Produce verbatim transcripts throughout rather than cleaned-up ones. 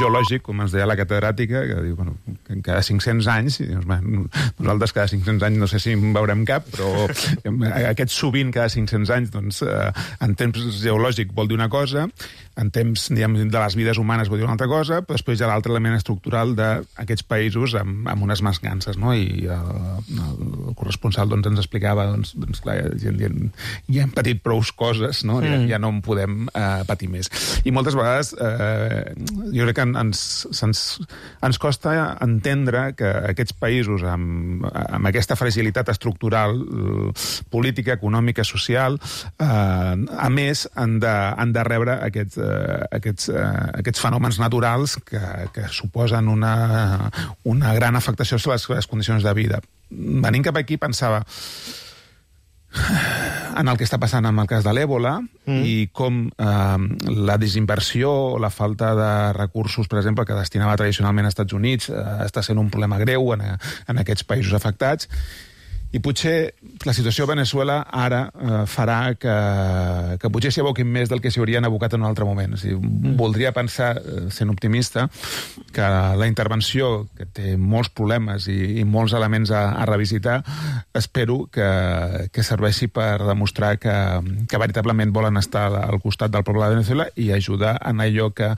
geològic, com ens deia la catedràtica, que diu, bueno, que cada cinc-cents anys, i dius, bueno, nosaltres cada cinc-cents anys no sé si en veurem cap, però aquest sovint cada cinc-cents anys, doncs, eh, en temps geològic vol dir una cosa, en temps, diguem, de les vides humanes vol dir una altra cosa, però després hi ha l'altre element estructural d'aquests països amb, amb unes mancances, no? I el, el corresponsal doncs, ens explicava, doncs, doncs clar, ja, ja, ja hem patit prou coses, no? Ja, ja no en podem eh, patir més. I moltes vegades eh, jo crec que ens, ens, ens costa entendre que aquests països amb, amb aquesta fragilitat estructural, política, econòmica, social, eh, a més han de, han de rebre aquests, eh, aquests, eh, aquests fenòmens naturals que, que suposen una, una gran afectació sobre les, les condicions de vida. Venint cap aquí pensava en el que està passant amb el cas de l'Èbola mm. i com eh, la desinversió o la falta de recursos, per exemple, que destinava tradicionalment als Estats Units, eh, està sent un problema greu en, en aquests països afectats. I potser la situació a Venezuela ara eh, farà que, que potser s'hi aboquin més del que s'hi haurien abocat en un altre moment. O sigui, mm. voldria pensar, sent optimista, que la intervenció, que té molts problemes i, i molts elements a, a revisitar, espero que, que serveixi per demostrar que, que veritablement volen estar al costat del poble de Venezuela i ajudar en allò que,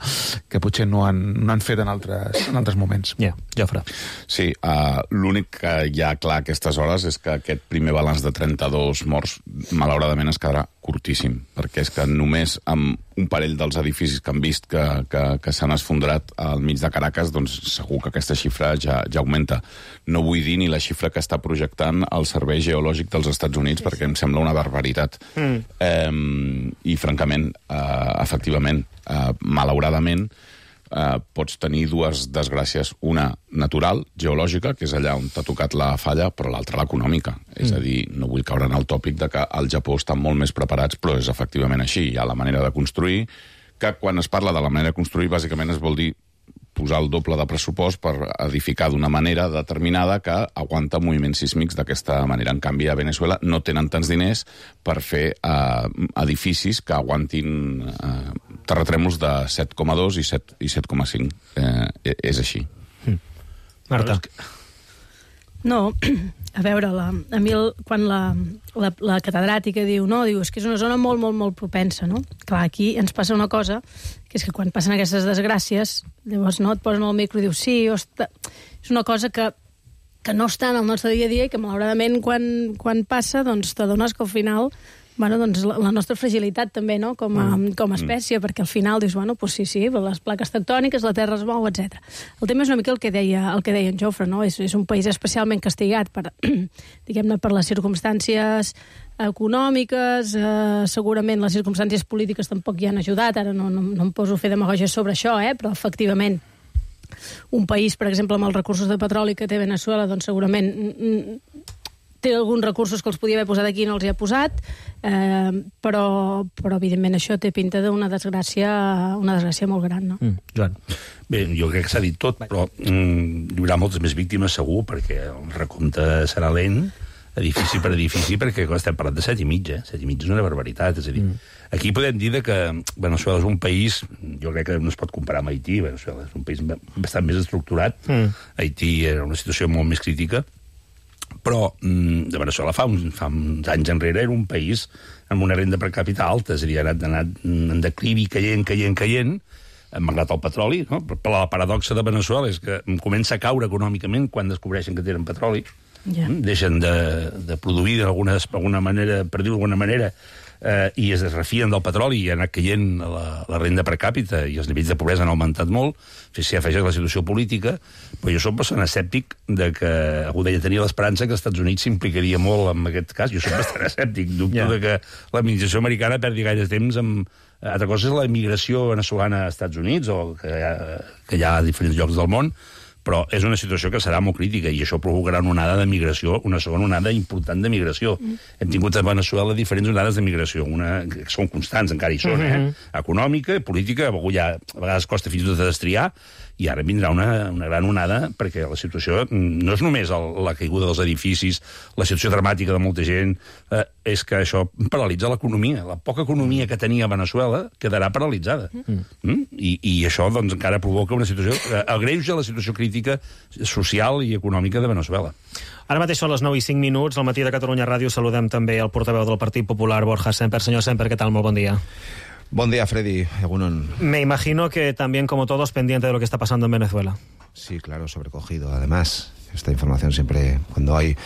que potser no han, no han fet en altres, en altres moments. Ja, yeah, Jofre. Sí, uh, l'únic que hi ha clar a aquestes hores és que aquest primer balanç de trenta-dos morts malauradament es quedarà curtíssim, perquè és que només amb un parell dels edificis que han vist que, que, que s'han esfondrat al mig de Caracas, doncs segur que aquesta xifra ja, ja augmenta. No vull dir ni la xifra que està projectant el Servei Geològic dels Estats Units, sí, perquè sí. em sembla una barbaritat. Mm. Eh, I, francament, eh, efectivament, eh, malauradament, Uh, pots tenir dues desgràcies. Una natural, geològica, que és allà on t'ha tocat la falla, però l'altra l'econòmica. Mm. És a dir, no vull caure en el tòpic de que al Japó estan molt més preparats, però és efectivament així. Hi ha la manera de construir, que quan es parla de la manera de construir, bàsicament es vol dir posar el doble de pressupost per edificar d'una manera determinada que aguanta moviments sísmics d'aquesta manera. En canvi, a Venezuela no tenen tants diners per fer eh, edificis que aguantin eh, terratrèmols de set coma dos i set coma cinc. Eh, és així. Mm. Marta. No, a veure, la, a mi el, quan la, la, la catedràtica diu, no, diu, és que és una zona molt, molt, molt propensa, no? Clar, aquí ens passa una cosa, que és que quan passen aquestes desgràcies, llavors no, et posen al micro i dius, sí, hosta, és una cosa que, que no està en el nostre dia a dia i que malauradament quan, quan passa, doncs t'adones que al final... Bueno, doncs la, la nostra fragilitat també, no?, com a, com a espècie, perquè al final dius, bueno, doncs sí, sí, les plaques tectòniques, la terra es mou, etcètera. El tema és una mica el que deia, el que deia en Jofre, no? És, és un país especialment castigat per, diguem-ne, per les circumstàncies econòmiques, eh, segurament les circumstàncies polítiques tampoc hi han ajudat, ara no, no, no em poso a fer demagògia sobre això, eh, però efectivament un país, per exemple, amb els recursos de petroli que té Venezuela, doncs segurament té alguns recursos que els podia haver posat aquí i no els hi ha posat, eh, però, però evidentment això té pinta d'una desgràcia, una desgràcia molt gran, no? Mm, Joan. Bé, jo crec que s'ha dit tot, però mm, hi haurà moltes més víctimes segur, perquè el recompte serà lent, edifici per edifici, perquè estem parlant de set i mig, eh? Set i mig és una barbaritat, és a dir, mm. aquí podem dir que Venezuela és un país, jo crec que no es pot comparar amb Haití, Venezuela és un país bastant més estructurat, mm. Haití era una situació molt més crítica, però de Venezuela fa uns, fa uns anys enrere era un país amb una renda per càpita alta, és a dir, ha anat, ha anat en declivi, caient, caient, caient, malgrat el petroli, no? Però la paradoxa de Venezuela és que comença a caure econòmicament quan descobreixen que tenen petroli, yeah. deixen de, de produir d'alguna manera, per dir-ho d'alguna manera, eh, i es refien del petroli i ha anat caient la, la renda per càpita i els nivells de pobresa han augmentat molt, si afegeix la situació política, però jo soc bastant escèptic de que, algú deia, tenia l'esperança que els Estats Units s'implicaria molt en aquest cas, jo soc bastant escèptic, dubto yeah. de que l'administració americana perdi gaire temps amb... Altra cosa és la immigració veneçolana als Estats Units, o que hi ha, que hi ha a diferents llocs del món, però és una situació que serà molt crítica i això provocarà una onada de migració, una segona onada important de migració. Mm. Hem tingut a Venezuela diferents onades de migració, una que són constants, encara hi són, mm-hmm. eh? Econòmica, política, ja, a vegades costa fins i tot de destriar, i ara vindrà una, una gran onada, perquè la situació no és només el, la caiguda dels edificis, la situació dramàtica de molta gent, eh, és que això paralitza l'economia. La poca economia que tenia Venezuela quedarà paralitzada. Mm. Mm? I, I això doncs, encara provoca una situació... Eh, agreuja la situació crítica social i econòmica de Venezuela. Ara mateix són les nou i cinc minuts. Al matí de Catalunya Ràdio saludem també el portaveu del Partit Popular, Borja Semper. Senyor Semper, ¿qué tal? Molt bon dia. Buen día, Freddy. Me imagino que también, como todos, pendiente de lo que está pasando en Venezuela. Sí, claro, sobrecogido. Además, esta información siempre, cuando hay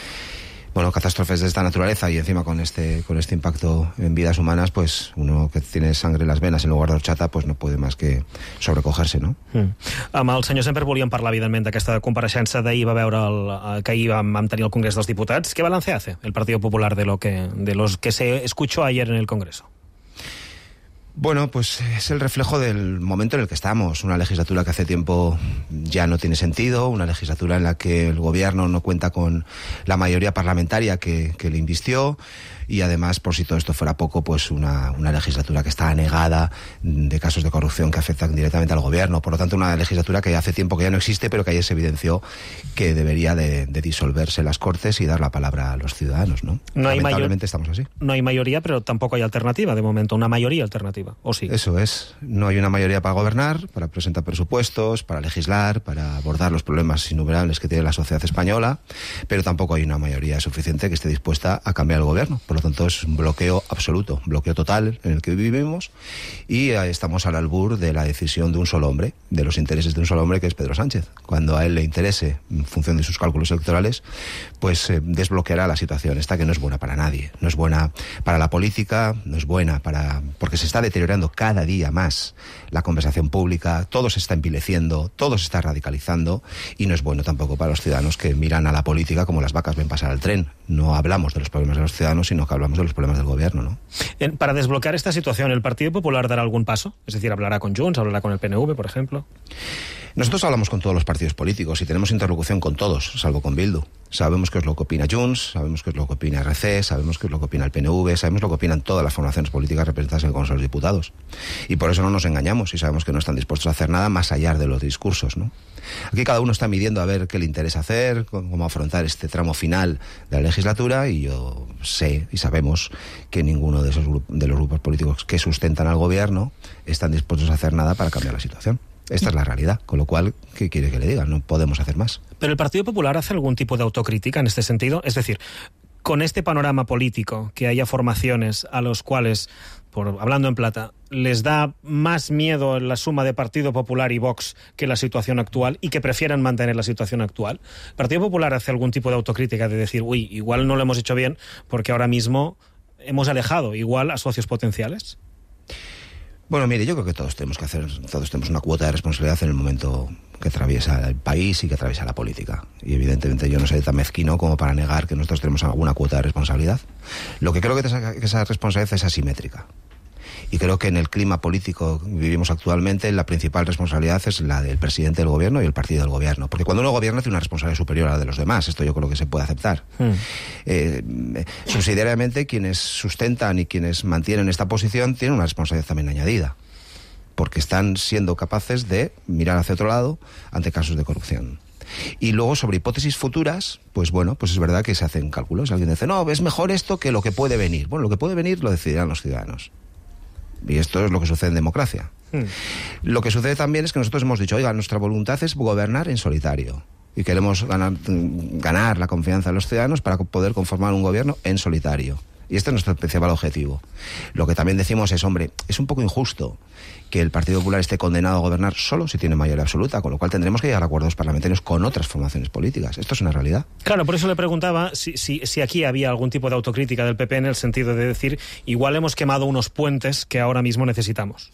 bueno, catástrofes de esta naturaleza y encima con este, con este impacto en vidas humanas, pues uno que tiene sangre en las venas en lugar d'horchata, pues no puede más que sobrecogerse, no? Mm. Amb el senyor Semper volíem parlar, evidentment, d'aquesta compareixença d'ahir, va veure el, que ahir vam, vam tenir el Congrés dels Diputats. ¿Qué balance hace el Partido Popular de lo que, de los que se escuchó ayer en el Congreso? Bueno, pues es el reflejo del momento en el que estamos. Una legislatura que hace tiempo ya no tiene sentido, una legislatura en la que el gobierno no cuenta con la mayoría parlamentaria que, que le invistió, y además, por si todo esto fuera poco, pues una, una legislatura que está anegada de casos de corrupción que afectan directamente al gobierno. Por lo tanto, una legislatura que hace tiempo que ya no existe, pero que ayer se evidenció que debería de, de disolverse las Cortes y dar la palabra a los ciudadanos, ¿no? No hay Lamentablemente estamos así. No hay mayoría, pero tampoco hay alternativa, de momento, una mayoría alternativa, ¿o sí? Eso es. No hay una mayoría para gobernar, para presentar presupuestos, para legislar, para abordar los problemas innumerables que tiene la sociedad española, pero tampoco hay una mayoría suficiente que esté dispuesta a cambiar el gobierno. Por lo tanto, es un bloqueo absoluto, un bloqueo total en el que vivimos, y estamos al albur de la decisión de un solo hombre, de los intereses de un solo hombre, que es Pedro Sánchez. Cuando a él le interese, en función de sus cálculos electorales, pues eh, desbloqueará la situación esta, que no es buena para nadie. No es buena para la política, no es buena para... porque se está deteriorando cada día más la conversación pública, todo se está envileciendo, todo se está radicalizando, y no es bueno tampoco para los ciudadanos, que miran a la política como las vacas ven pasar al tren. No hablamos de los problemas de los ciudadanos, sino que hablamos de los problemas del gobierno, ¿no? Para desbloquear esta situación, ¿el Partido Popular dará algún paso? Es decir, ¿hablará con Junts, hablará con el P N V, por ejemplo? Nosotros hablamos con todos los partidos políticos y tenemos interlocución con todos, salvo con Bildu. Sabemos qué es lo que opina Junts, sabemos qué es lo que opina R C, sabemos qué es lo que opina el P N V, sabemos lo que opinan todas las formaciones políticas representadas en el Congreso de los Diputados. Y por eso no nos engañamos y sabemos que no están dispuestos a hacer nada más allá de los discursos, ¿no? Aquí cada uno está midiendo a ver qué le interesa hacer, cómo afrontar este tramo final de la legislatura, y yo sé y sabemos que ninguno de, esos, de los grupos políticos que sustentan al gobierno están dispuestos a hacer nada para cambiar la situación. Esta es la realidad, con lo cual, ¿qué quiere que le diga? No podemos hacer más. ¿Pero el Partido Popular hace algún tipo de autocrítica en este sentido? Es decir, con este panorama político, que haya formaciones a los cuales, por hablando en plata, les da más miedo la suma de Partido Popular y Vox que la situación actual, y que prefieran mantener la situación actual, ¿el Partido Popular hace algún tipo de autocrítica de decir, uy, igual no lo hemos hecho bien porque ahora mismo hemos alejado igual a socios potenciales? Bueno, mire, yo creo que todos tenemos que hacer, todos tenemos una cuota de responsabilidad en el momento que atraviesa el país y que atraviesa la política. Y evidentemente yo no soy tan mezquino como para negar que nosotros tenemos alguna cuota de responsabilidad. Lo que creo que esa, que esa responsabilidad es asimétrica. Y creo que en el clima político que vivimos actualmente, la principal responsabilidad es la del presidente del gobierno y el partido del gobierno. Porque cuando uno gobierna tiene una responsabilidad superior a la de los demás. Esto yo creo que se puede aceptar. Mm. Eh, subsidiariamente, quienes sustentan y quienes mantienen esta posición tienen una responsabilidad también añadida, porque están siendo capaces de mirar hacia otro lado ante casos de corrupción. Y luego, sobre hipótesis futuras, pues bueno, pues es verdad que se hacen cálculos. Alguien dice, no, es mejor esto que lo que puede venir. Bueno, lo que puede venir lo decidirán los ciudadanos. Y esto es lo que sucede en democracia. Hmm. Lo que sucede también es que nosotros hemos dicho, oiga, nuestra voluntad es gobernar en solitario. Y queremos ganar, ganar la confianza de los ciudadanos para poder conformar un gobierno en solitario. Y este es nuestro principal objetivo. Lo que también decimos es, hombre, es un poco injusto que el Partido Popular esté condenado a gobernar solo si tiene mayoría absoluta, con lo cual tendremos que llegar a acuerdos parlamentarios con otras formaciones políticas. Esto es una realidad. Claro, por eso le preguntaba si, si, si aquí había algún tipo de autocrítica del P P en el sentido de decir, igual hemos quemado unos puentes que ahora mismo necesitamos.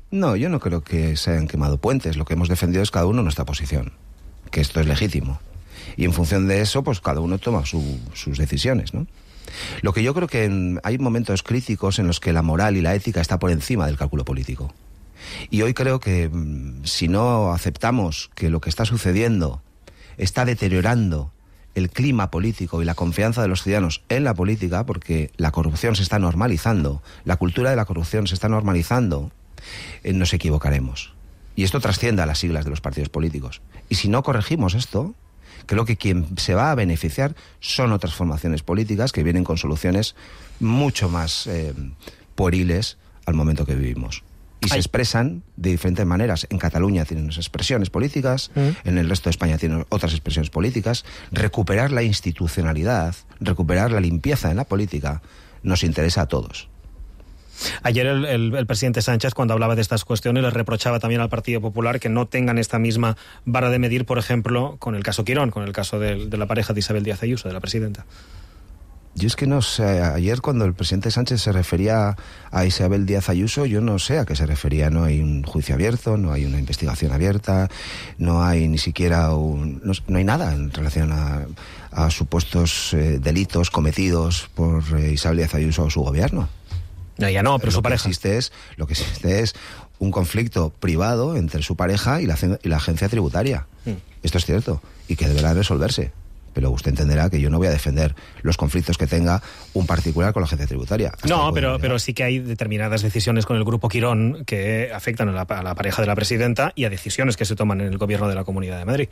No, yo no creo que se hayan quemado puentes. Lo que hemos defendido es cada uno nuestra posición, que esto es legítimo. Y en función de eso, pues cada uno toma su, sus decisiones, ¿no? Lo que yo creo que en, hay momentos críticos en los que la moral y la ética está por encima del cálculo político. Y hoy creo que si no aceptamos que lo que está sucediendo está deteriorando el clima político y la confianza de los ciudadanos en la política, porque la corrupción se está normalizando, la cultura de la corrupción se está normalizando, eh, nos equivocaremos. Y esto trasciende a las siglas de los partidos políticos. Y si no corregimos esto, creo que quien se va a beneficiar son otras formaciones políticas que vienen con soluciones mucho más eh, pueriles al momento que vivimos. Y se expresan de diferentes maneras. En Cataluña tienen unas expresiones políticas, mm. en el resto de España tienen otras expresiones políticas. Recuperar la institucionalidad, recuperar la limpieza en la política, nos interesa a todos. Ayer el, el, el presidente Sánchez, cuando hablaba de estas cuestiones, le reprochaba también al Partido Popular que no tengan esta misma vara de medir, por ejemplo, con el caso Quirón, con el caso de, de la pareja de Isabel Díaz Ayuso, de la presidenta. Yo es que no sé, ayer cuando el presidente Sánchez se refería a Isabel Díaz Ayuso, yo no sé a qué se refería. No hay un juicio abierto, no hay una investigación abierta, no hay ni siquiera un, no, no hay nada en relación a, a supuestos eh, delitos cometidos por eh, Isabel Díaz Ayuso o su gobierno. No, ya no, pero lo su que pareja. Existe es, lo que existe es un conflicto privado entre su pareja y la, y la agencia tributaria. Mm. Esto es cierto, y que deberá resolverse. Pero usted entenderá que yo no voy a defender los conflictos que tenga un particular con la agencia tributaria. No, pero, pero sí que hay determinadas decisiones con el Grupo Quirón que afectan a la, a la pareja de la presidenta y a decisiones que se toman en el gobierno de la Comunidad de Madrid.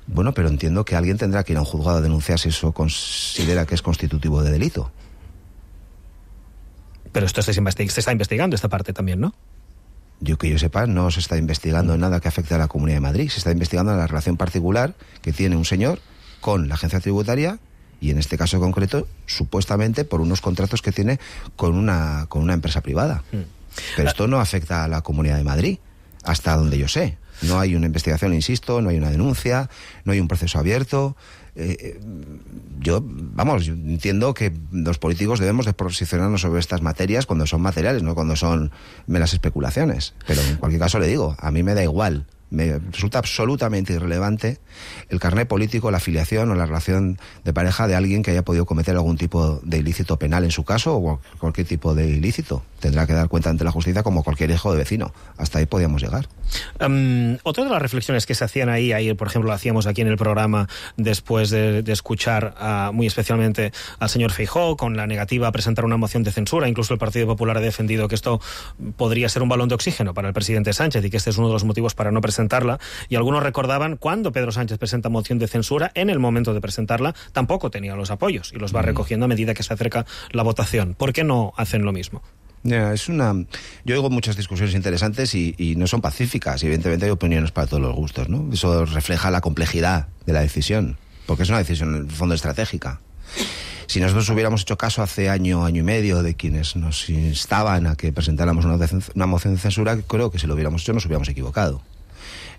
Bueno, pero entiendo que alguien tendrá que ir a un juzgado a denunciar si eso considera que es constitutivo de delito. Pero esto se, investig- se está investigando esta parte también, ¿no? Yo que yo sepa, no se está investigando nada que afecte a la Comunidad de Madrid. Se está investigando la relación particular que tiene un señor con la agencia tributaria y en este caso concreto, supuestamente por unos contratos que tiene con una, con una empresa privada. Mm. Pero esto no afecta a la Comunidad de Madrid, hasta donde yo sé. No hay una investigación, insisto, no hay una denuncia, no hay un proceso abierto. Eh, yo, vamos, yo entiendo que los políticos debemos de posicionarnos sobre estas materias cuando son materiales, no cuando son meras especulaciones. Pero en cualquier caso le digo, a mí me da igual. Me resulta absolutamente irrelevante el carné político, la afiliación o la relación de pareja de alguien que haya podido cometer algún tipo de ilícito penal en su caso o cualquier tipo de ilícito. Tendrá que dar cuenta ante la justicia como cualquier hijo de vecino. Hasta ahí podíamos llegar. Um, otra de las reflexiones que se hacían ahí, ayer por ejemplo lo hacíamos aquí en el programa después de, de escuchar a, muy especialmente al señor Feijóo con la negativa a presentar una moción de censura. Incluso el Partido Popular ha defendido que esto podría ser un balón de oxígeno para el presidente Sánchez y que este es uno de los motivos para no presentarla. Y algunos recordaban cuando Pedro Sánchez presenta moción de censura, en el momento de presentarla tampoco tenía los apoyos y los va recogiendo a medida que se acerca la votación. ¿Por qué no hacen lo mismo? Yeah, es una... Yo oigo muchas discusiones interesantes y, y no son pacíficas. Y evidentemente hay opiniones para todos los gustos, ¿no? Eso refleja la complejidad de la decisión, porque es una decisión en el fondo estratégica. Si nosotros hubiéramos hecho caso hace año, año y medio de quienes nos instaban a que presentáramos una, una moción de censura, creo que si lo hubiéramos hecho nos hubiéramos equivocado.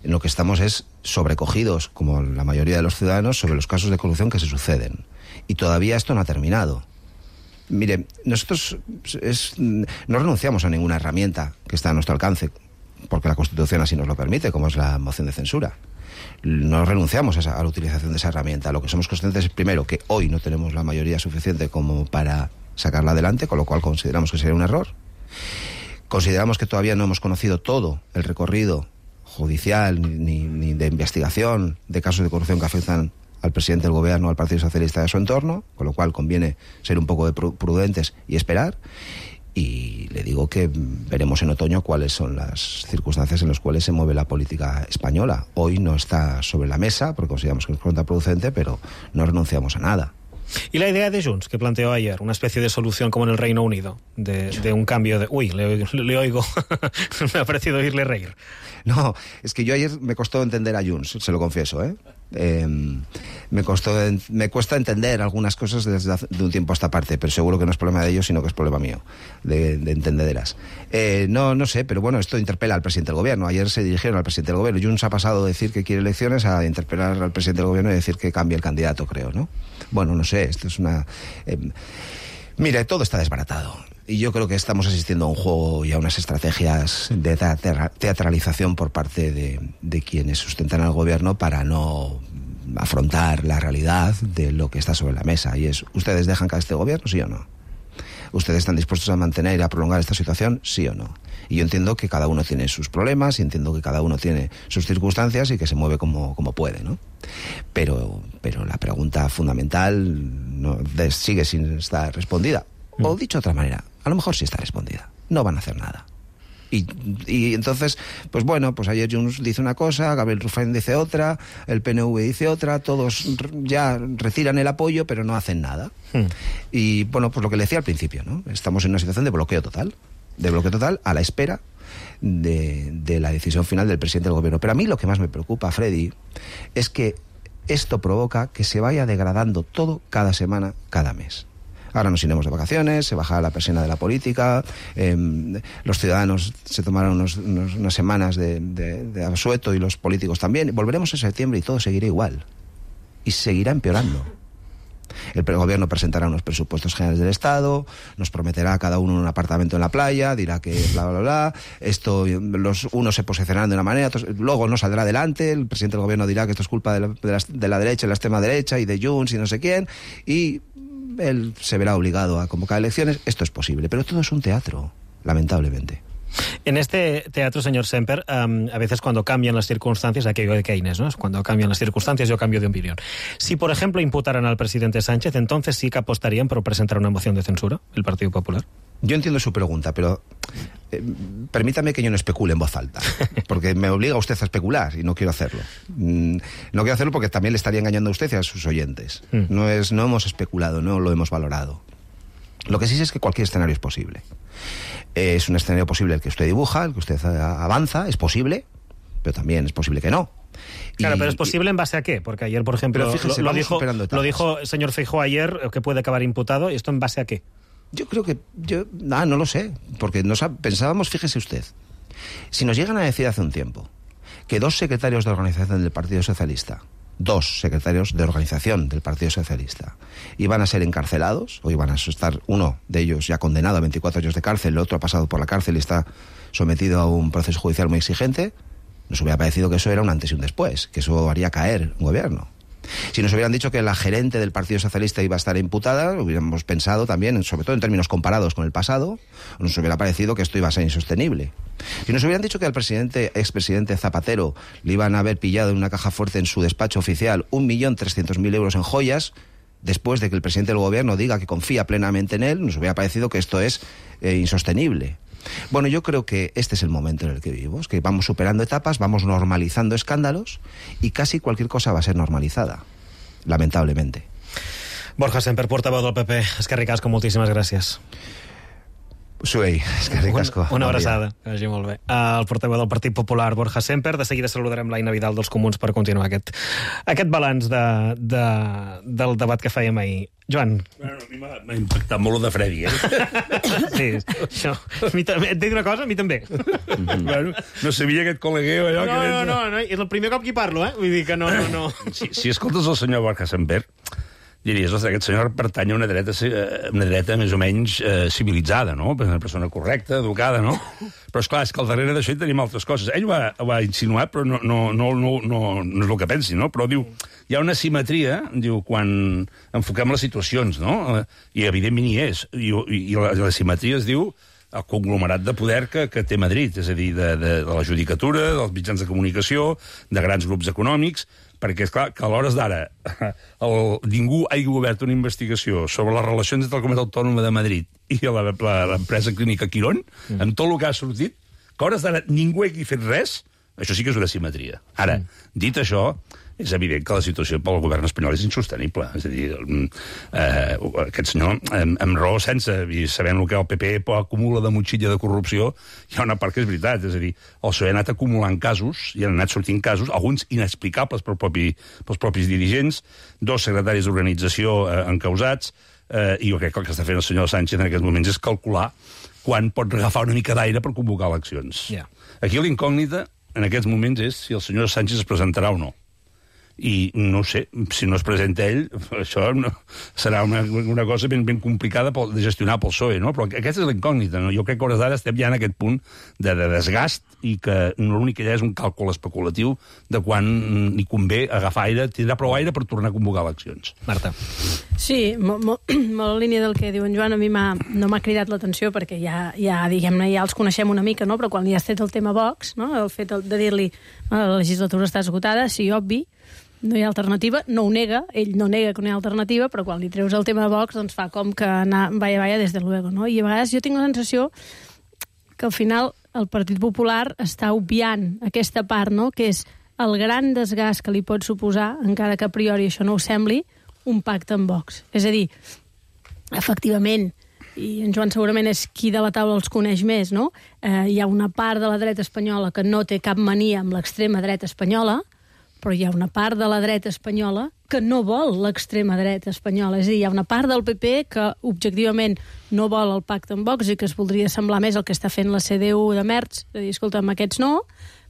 En lo que estamos es sobrecogidos, como la mayoría de los ciudadanos, sobre los casos de corrupción que se suceden. Y todavía esto no ha terminado. Mire, nosotros es, no renunciamos a ninguna herramienta que está a nuestro alcance, porque la Constitución así nos lo permite, como es la moción de censura. No renunciamos a, esa, a la utilización de esa herramienta. Lo que somos conscientes es, primero, que hoy no tenemos la mayoría suficiente como para sacarla adelante, con lo cual consideramos que sería un error. Consideramos que todavía no hemos conocido todo el recorrido judicial ni, ni de investigación de casos de corrupción que afectan al presidente del gobierno, al Partido Socialista y a su entorno, con lo cual conviene ser un poco de prudentes y esperar. Y le digo que veremos en otoño cuáles son las circunstancias en las cuales se mueve la política española. Hoy no está sobre la mesa, porque consideramos que es contraproducente, pero no renunciamos a nada. Y la idea de Junts, que planteó ayer, una especie de solución como en el Reino Unido, de, de un cambio de... Uy, le, le oigo, me ha parecido oírle reír. No, es que yo ayer me costó entender a Junts, se lo confieso, ¿eh? Eh, me costó, me cuesta entender algunas cosas desde hace, de un tiempo a esta parte, pero seguro que no es problema de ellos, sino que es problema mío, de, de entendederas. Eh, no, no sé, pero bueno, esto interpela al presidente del gobierno. Ayer se dirigieron al presidente del gobierno. Junts ha pasado de decir que quiere elecciones a interpelar al presidente del gobierno y decir que cambie el candidato, creo, ¿no? Bueno, no sé, esto es una... Eh, mire, todo está desbaratado. Y yo creo que estamos asistiendo a un juego y a unas estrategias de teatralización por parte de, de quienes sustentan al gobierno para no afrontar la realidad de lo que está sobre la mesa. Y es, ¿ustedes dejan caer este gobierno, sí o no? ¿Ustedes están dispuestos a mantener y a prolongar esta situación, sí o no? Y yo entiendo que cada uno tiene sus problemas y entiendo que cada uno tiene sus circunstancias y que se mueve como, como puede, ¿no? Pero, pero la pregunta fundamental no, de, sigue sin estar respondida. O dicho de otra manera, a lo mejor sí está respondida. No van a hacer nada. Y, y entonces, pues bueno, pues ayer Junts dice una cosa, Gabriel Rufián dice otra, el P N V dice otra, todos ya retiran el apoyo, pero no hacen nada. Hmm. Y bueno, pues lo que le decía al principio, ¿no? Estamos en una situación de bloqueo total, de bloqueo total a la espera de, de la decisión final del presidente del gobierno. Pero a mí lo que más me preocupa, Freddy, es que esto provoca que se vaya degradando todo cada semana, cada mes. Ahora nos iremos de vacaciones, se bajará la persiana de la política, eh, los ciudadanos se tomarán unos, unos, unas semanas de, de, de asueto y los políticos también. Volveremos en septiembre y todo seguirá igual. Y seguirá empeorando. El gobierno presentará unos presupuestos generales del Estado, nos prometerá a cada uno un apartamento en la playa, dirá que bla, bla, bla. Esto, los unos se posicionarán de una manera, otros, luego no saldrá adelante, el presidente del gobierno dirá que esto es culpa de la, de la, de la derecha y la extrema derecha y de Junts y no sé quién, y él se verá obligado a convocar elecciones. Esto es posible, pero todo es un teatro, lamentablemente. En este teatro, señor Semper, um, a veces cuando cambian las circunstancias, aquello de Keynes, ¿no? Cuando cambian las circunstancias yo cambio de opinión. Si, por ejemplo, imputaran al presidente Sánchez, entonces sí que apostarían por presentar una moción de censura, el Partido Popular. Yo entiendo su pregunta, pero eh, permítame que yo no especule en voz alta, porque me obliga usted a especular y no quiero hacerlo. Mm, no quiero hacerlo porque también le estaría engañando a usted y a sus oyentes. Mm. No, es, no hemos especulado, no lo hemos valorado. Lo que sí es que cualquier escenario es posible. Es un escenario posible el que usted dibuja, el que usted avanza, es posible, pero también es posible que no. Claro, y, pero ¿es posible y... en base a qué? Porque ayer, por ejemplo, fíjese, lo, lo, dijo, lo dijo el señor Feijóo ayer, que puede acabar imputado, ¿y esto en base a qué? Yo creo que... yo ah, no lo sé, porque nos ha, pensábamos, fíjese usted, si nos llegan a decir hace un tiempo que dos secretarios de organización del Partido Socialista, dos secretarios de organización del Partido Socialista, iban a ser encarcelados, o iban a estar, uno de ellos ya condenado a veinticuatro años de cárcel, el otro ha pasado por la cárcel y está sometido a un proceso judicial muy exigente, nos hubiera parecido que eso era un antes y un después, que eso haría caer un gobierno. Si nos hubieran dicho que la gerente del Partido Socialista iba a estar imputada, hubiéramos pensado también, sobre todo en términos comparados con el pasado, nos hubiera parecido que esto iba a ser insostenible. Si nos hubieran dicho que al presidente, expresidente Zapatero le iban a haber pillado en una caja fuerte en su despacho oficial un millón trescientos mil euros en joyas, después de que el presidente del gobierno diga que confía plenamente en él, nos hubiera parecido que esto es eh, insostenible. Bueno, yo creo que este es el momento en el que vivimos, que vamos superando etapas, vamos normalizando escándalos y casi cualquier cosa va a ser normalizada, lamentablemente. Borja Semper, portavoz del P P, eskerrik asko, moltíssimes gràcies. Suei, eskerrik asko. Una, una abraçada, que vagi molt bé. El portaveu del Partit Popular, Borja Semper. De seguida saludarem l'Aina Vidal dels Comuns per continuar aquest, aquest balanç de, de, del debat que fèiem ahir. Joan. Bueno, a mi m'ha impactat molt el de Freddy, eh? Sí, això. Et dic una cosa, a mi també. Mm-hmm. Bueno, no sabia aquest col·legueu, allò no, que... No, no, no, és el primer cop que hi parlo, eh? Vull dir que no, no, no. Si, si escoltes el senyor Borja Semper, diries, ostres, aquest senyor pertany a una dreta, una dreta més o menys eh, civilitzada, no? Una persona correcta, educada, no? Però, esclar, és que al darrere d'això hi tenim altres coses. Ell ho ha, ho ha insinuat, però no, no, no, no, no, no és el que pensi, no? Però diu, hi ha una simetria, diu, quan enfoquem les situacions, no? I, evidentment, hi és. I, i la, la simetria es diu el conglomerat de poder que, que té Madrid, és a dir, de, de, de la judicatura, dels mitjans de comunicació, de grans grups econòmics, perquè és clar que a l'hores d'ara ningú hagi obert una investigació sobre les relacions entre la Comunitat Autònoma de Madrid i l'empresa clínica Quirón, mm. amb tot el que ha sortit, que a hores d'ara ningú hagi fet res, això sí que és una simetria. Ara, mm. dit això, és evident que la situació pel govern espanyol és insostenible. És a dir, eh, aquest senyor, amb, amb raó sense, i sabent el que el P P acumula de motxilla de corrupció, hi ha una part que és veritat. És a dir, el P S O E ha anat acumulant casos, i han anat sortint casos, alguns inexplicables pel propi, pels propis dirigents, dos secretaris d'organització eh, encausats, eh, i jo crec que el que està fent el senyor Sánchez en aquests moments és calcular quan pot agafar una mica d'aire per convocar eleccions. Yeah. Aquí l'incògnita, en aquests moments, és si el senyor Sánchez es presentarà o no. I no sé, si no es presenta ell, això no, serà una, una cosa ben, ben complicada pel, de gestionar pel P S O E, no? Però aquesta és l'incògnita, no? Jo crec que a hores d'ara estem ja en aquest punt de, de desgast i que l'únic que hi ha és un càlcul especulatiu de quan li convé agafar aire, tindrà prou aire per tornar a convocar eleccions. Marta. Sí, molt, molt, molt en línia del que diu en Joan, a mi no m'ha cridat l'atenció perquè ja, ja diguem-ne, ja els coneixem una mica, no? Però quan li has tret el tema Vox, no? El fet de dir-li la legislatura està esgotada, sí, obvi, no hi ha alternativa, no ho nega, ell no nega que no hi ha alternativa, però quan li treus el tema de Vox, doncs fa com que anar vaya, vaya, des de luego, no? I a vegades jo tinc la sensació que al final el Partit Popular està obviant aquesta part, no?, que és el gran desgast que li pot suposar, encara que a priori això no ho sembli, un pacte amb Vox. És a dir, efectivament, i en Joan segurament és qui de la taula els coneix més, no? Eh, hi ha una part de la dreta espanyola que no té cap mania amb l'extrema dreta espanyola, però hi ha una part de la dreta espanyola que no vol l'extrema dreta espanyola. És a dir, hi ha una part del P P que objectivament no vol el pacte amb Vox i que es voldria semblar més el que està fent la C D U de Merz, de dir, escolta'm, aquests no,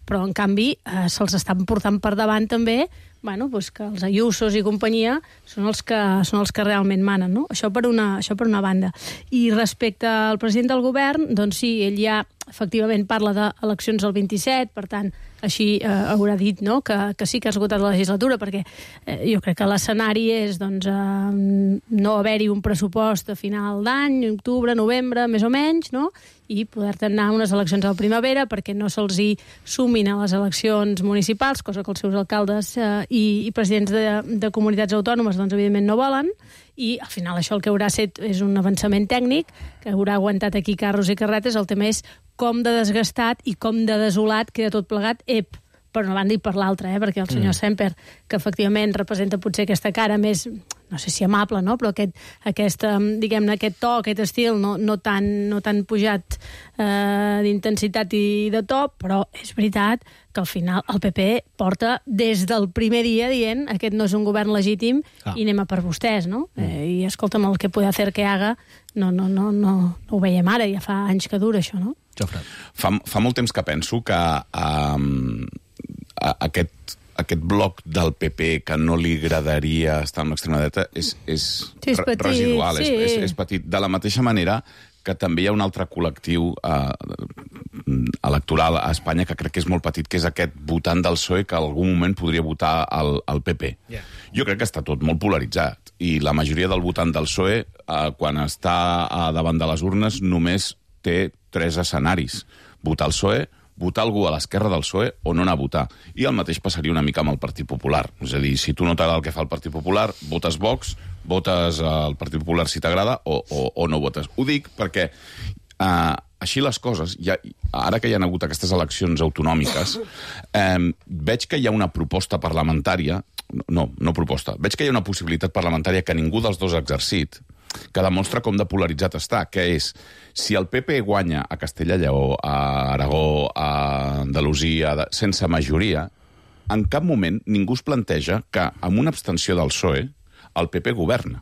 però en canvi eh, se'ls estan portant per davant també, bueno, doncs que els Ayusos i companyia són els que, són els que realment manen, no? Això per una, això per una banda. I respecte al president del govern, doncs sí, ell ja efectivament parla d'eleccions del vint-i-set, per tant, així eh, haurà dit, no?, que, que sí que ha esgotat la legislatura, perquè eh, jo crec que l'escenari és doncs, eh, no haver-hi un pressupost a final d'any, octubre, novembre, més o menys, no?, i poder-te anar a unes eleccions a la primavera perquè no se'ls hi sumin a les eleccions municipals, cosa que els seus alcaldes eh, i, i presidents de, de comunitats autònomes doncs, evidentment no volen, i al final això el que haurà set és un avançament tècnic que haurà aguantat aquí carros i carretes. El tema és com de desgastat i com de desolat queda tot plegat, ep, per una banda i per l'altra, eh? Perquè el senyor mm. Semper, que efectivament representa potser aquesta cara més, no sé si amable, no?, però aquest, aquest diguem-ne, aquest to, aquest estil no, no, tan, no tan pujat eh, d'intensitat i de to, però és veritat que al final el P P porta des del primer dia dient aquest no és un govern legítim ah. i anem a per vostès, no? Mm. Eh, I escolta'm, el que puede hacer que haga no, no, no, no, no ho veiem ara, ja fa anys que dura això, no? Jofre. Fa, fa molt temps que penso que um, aquest, aquest bloc del P P que no li agradaria estar amb l'extrema dreta és, és, sí, és petit, residual, sí. és, és, és petit. De la mateixa manera que també hi ha un altre col·lectiu eh, electoral a Espanya que crec que és molt petit, que és aquest votant del P S O E que en algun moment podria votar al, al P P. Yeah. Jo crec que està tot molt polaritzat i la majoria del votant del P S O E, eh, quan està eh, davant de les urnes, només té tres escenaris. Votar el P S O E, votar algú a l'esquerra del P S O E o no anar a votar. I el mateix passaria una mica amb el Partit Popular. És a dir, si tu no t'agrada el que fa el Partit Popular, votes Vox, votes el Partit Popular si t'agrada o, o, o no votes. Ho dic perquè eh, així les coses, ja, ara que hi ha hagut aquestes eleccions autonòmiques, eh, veig que hi ha una proposta parlamentària, no, no proposta, veig que hi ha una possibilitat parlamentària que ningú dels dos ha exercit, que demostra com de polaritzat està, que és, si el P P guanya a Castella-Lleó, a Aragó, a Andalusia, sense majoria, en cap moment ningú es planteja que, amb una abstenció del P S O E, el P P governa.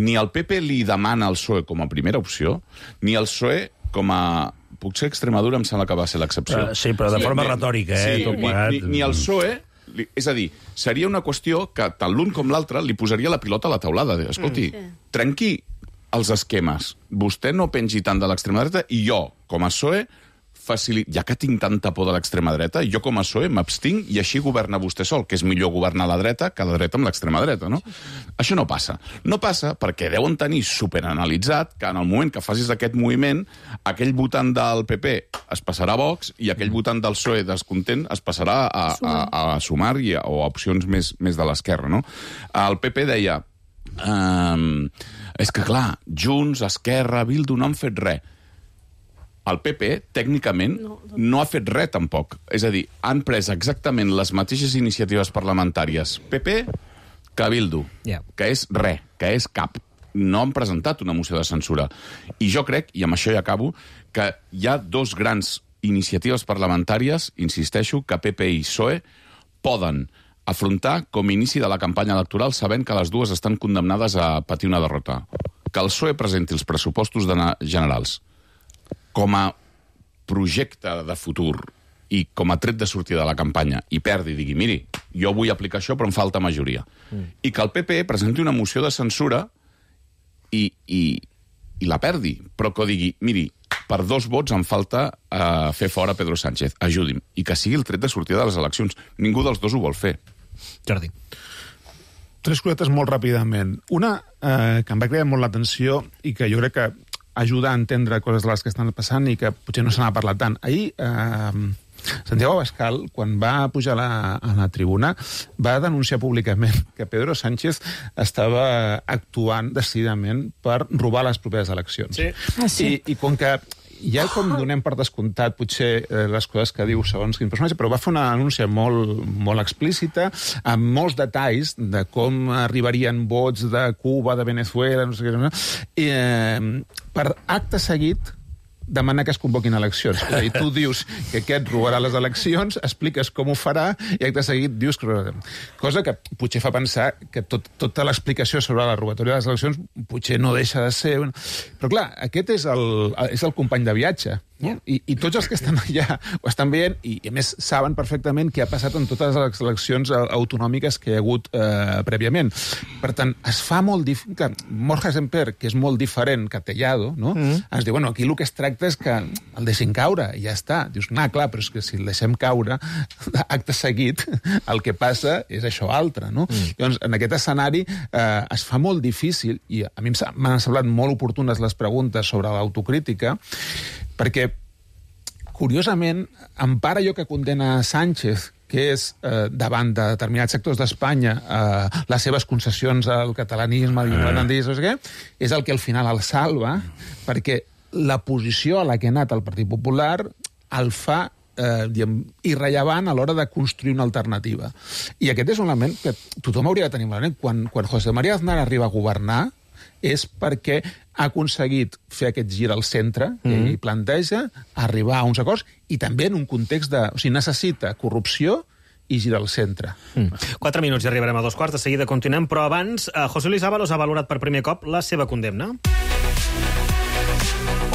Ni el P P li demana al P S O E com a primera opció, ni el P S O E com a... Potser Extremadura em sembla que va ser l'excepció. Uh, sí, però de sí, forma ni, retòrica, eh? Sí, tot ni, ni, ni el P S O E... És a dir, seria una qüestió que tant l'un com l'altre li posaria la pilota a la taulada. Escolti, mm, sí. trenqui els esquemes. Vostè no pengi tant de l'extrema dreta i jo, com a P S O E, facili... ja que tinc tanta por de l'extrema dreta, jo com a P S O E m'abstinc i així governa vostè sol, que és millor governar la dreta que la dreta amb l'extrema dreta, no? Sí, sí. Això no passa. No passa perquè deuen tenir superanalitzat que en el moment que facis aquest moviment, aquell votant del P P es passarà a Vox i aquell votant del P S O E descontent es passarà a, a, a, a Sumar i a, o a opcions més, més de l'esquerra, no? El P P deia um, és que clar, Junts, Esquerra, Bildu no han fet res. El P P, tècnicament, no, no. no ha fet res, tampoc. És a dir, han pres exactament les mateixes iniciatives parlamentàries P P que Bildu, yeah. que és res, que és cap. No han presentat una moció de censura. I jo crec, i amb això ja acabo, que hi ha dos grans iniciatives parlamentàries, insisteixo, que P P i P S O E poden afrontar com a inici de la campanya electoral sabent que les dues estan condemnades a patir una derrota. Que el P S O E presenti els pressupostos generals com a projecte de futur i com a tret de sortida de la campanya i perdi i digui, miri, jo vull aplicar això però em falta majoria. Mm. I que el P P presenti una moció de censura i, i, i la perdi, però que digui, miri, per dos vots em falta uh, fer fora Pedro Sánchez, ajudi'm, i que sigui el tret de sortida de les eleccions. Ningú dels dos ho vol fer. Jordi. Tres cosetes molt ràpidament. Una eh, que em va cridar molt l'atenció i que jo crec que ajuda a entendre coses de les que estan passant i que potser no se n'ha parlat tant. Ahir, eh, Santiago Abascal, quan va pujar a la, a la tribuna, va denunciar públicament que Pedro Sánchez estava actuant decididament per robar les properes eleccions. Sí. Ah, sí. I, i com que ja com donem per descomptat potser eh, les coses que diu segons quin personatge, però va fer una anúncia molt, molt explícita, amb molts detalls de com arribarien vots de Cuba, de Venezuela, no sé què, no? I, eh, per acte seguit demanar que es convoquin eleccions. És a dir, tu dius que aquest robarà les eleccions, expliques com ho farà i acte seguit dius que... Cosa que potser fa pensar que tot, tota l'explicació sobre la robatòria de les eleccions potser no deixa de ser... Però clar, aquest és el, és el company de viatge. No? I, I tots els que estan allà ho estan veient i, a més, saben perfectament què ha passat en totes les eleccions autonòmiques que hi ha hagut eh, prèviament. Per tant, es fa molt difícil... Borja Semper, que és molt diferent que Tellado, no? Mm. ens diu, bueno, aquí el que es tracta és que el deixin caure i ja està. Dius, no, clar, però és que si el deixem caure, acte seguit, el que passa és això altre, no? Mm. Llavors, en aquest escenari eh, es fa molt difícil, i a mi m'han semblat molt oportunes les preguntes sobre l'autocrítica, perquè, curiosament, empara allò que condena Sánchez, que és, eh, davant de determinats sectors d'Espanya, eh, les seves concessions al catalanisme, al independentisme, no sé què, és el que al final el salva, perquè la posició a la que ha anat el Partit Popular el fa eh, diguem, irrellevant a l'hora de construir una alternativa. I aquest és un element que tothom hauria de tenir en ment. Quan, quan José María Aznar arriba a governar, és perquè ha aconseguit fer aquest gir al centre, que mm. ell planteja, arribar a uns acords, i també en un context de... O sigui, necessita corrupció i girar al centre. Mm. Quatre minuts i arribarem a dos quarts, de seguida continuem, però abans, eh, José Luis Ábalos ha valorat per primer cop la seva condemna.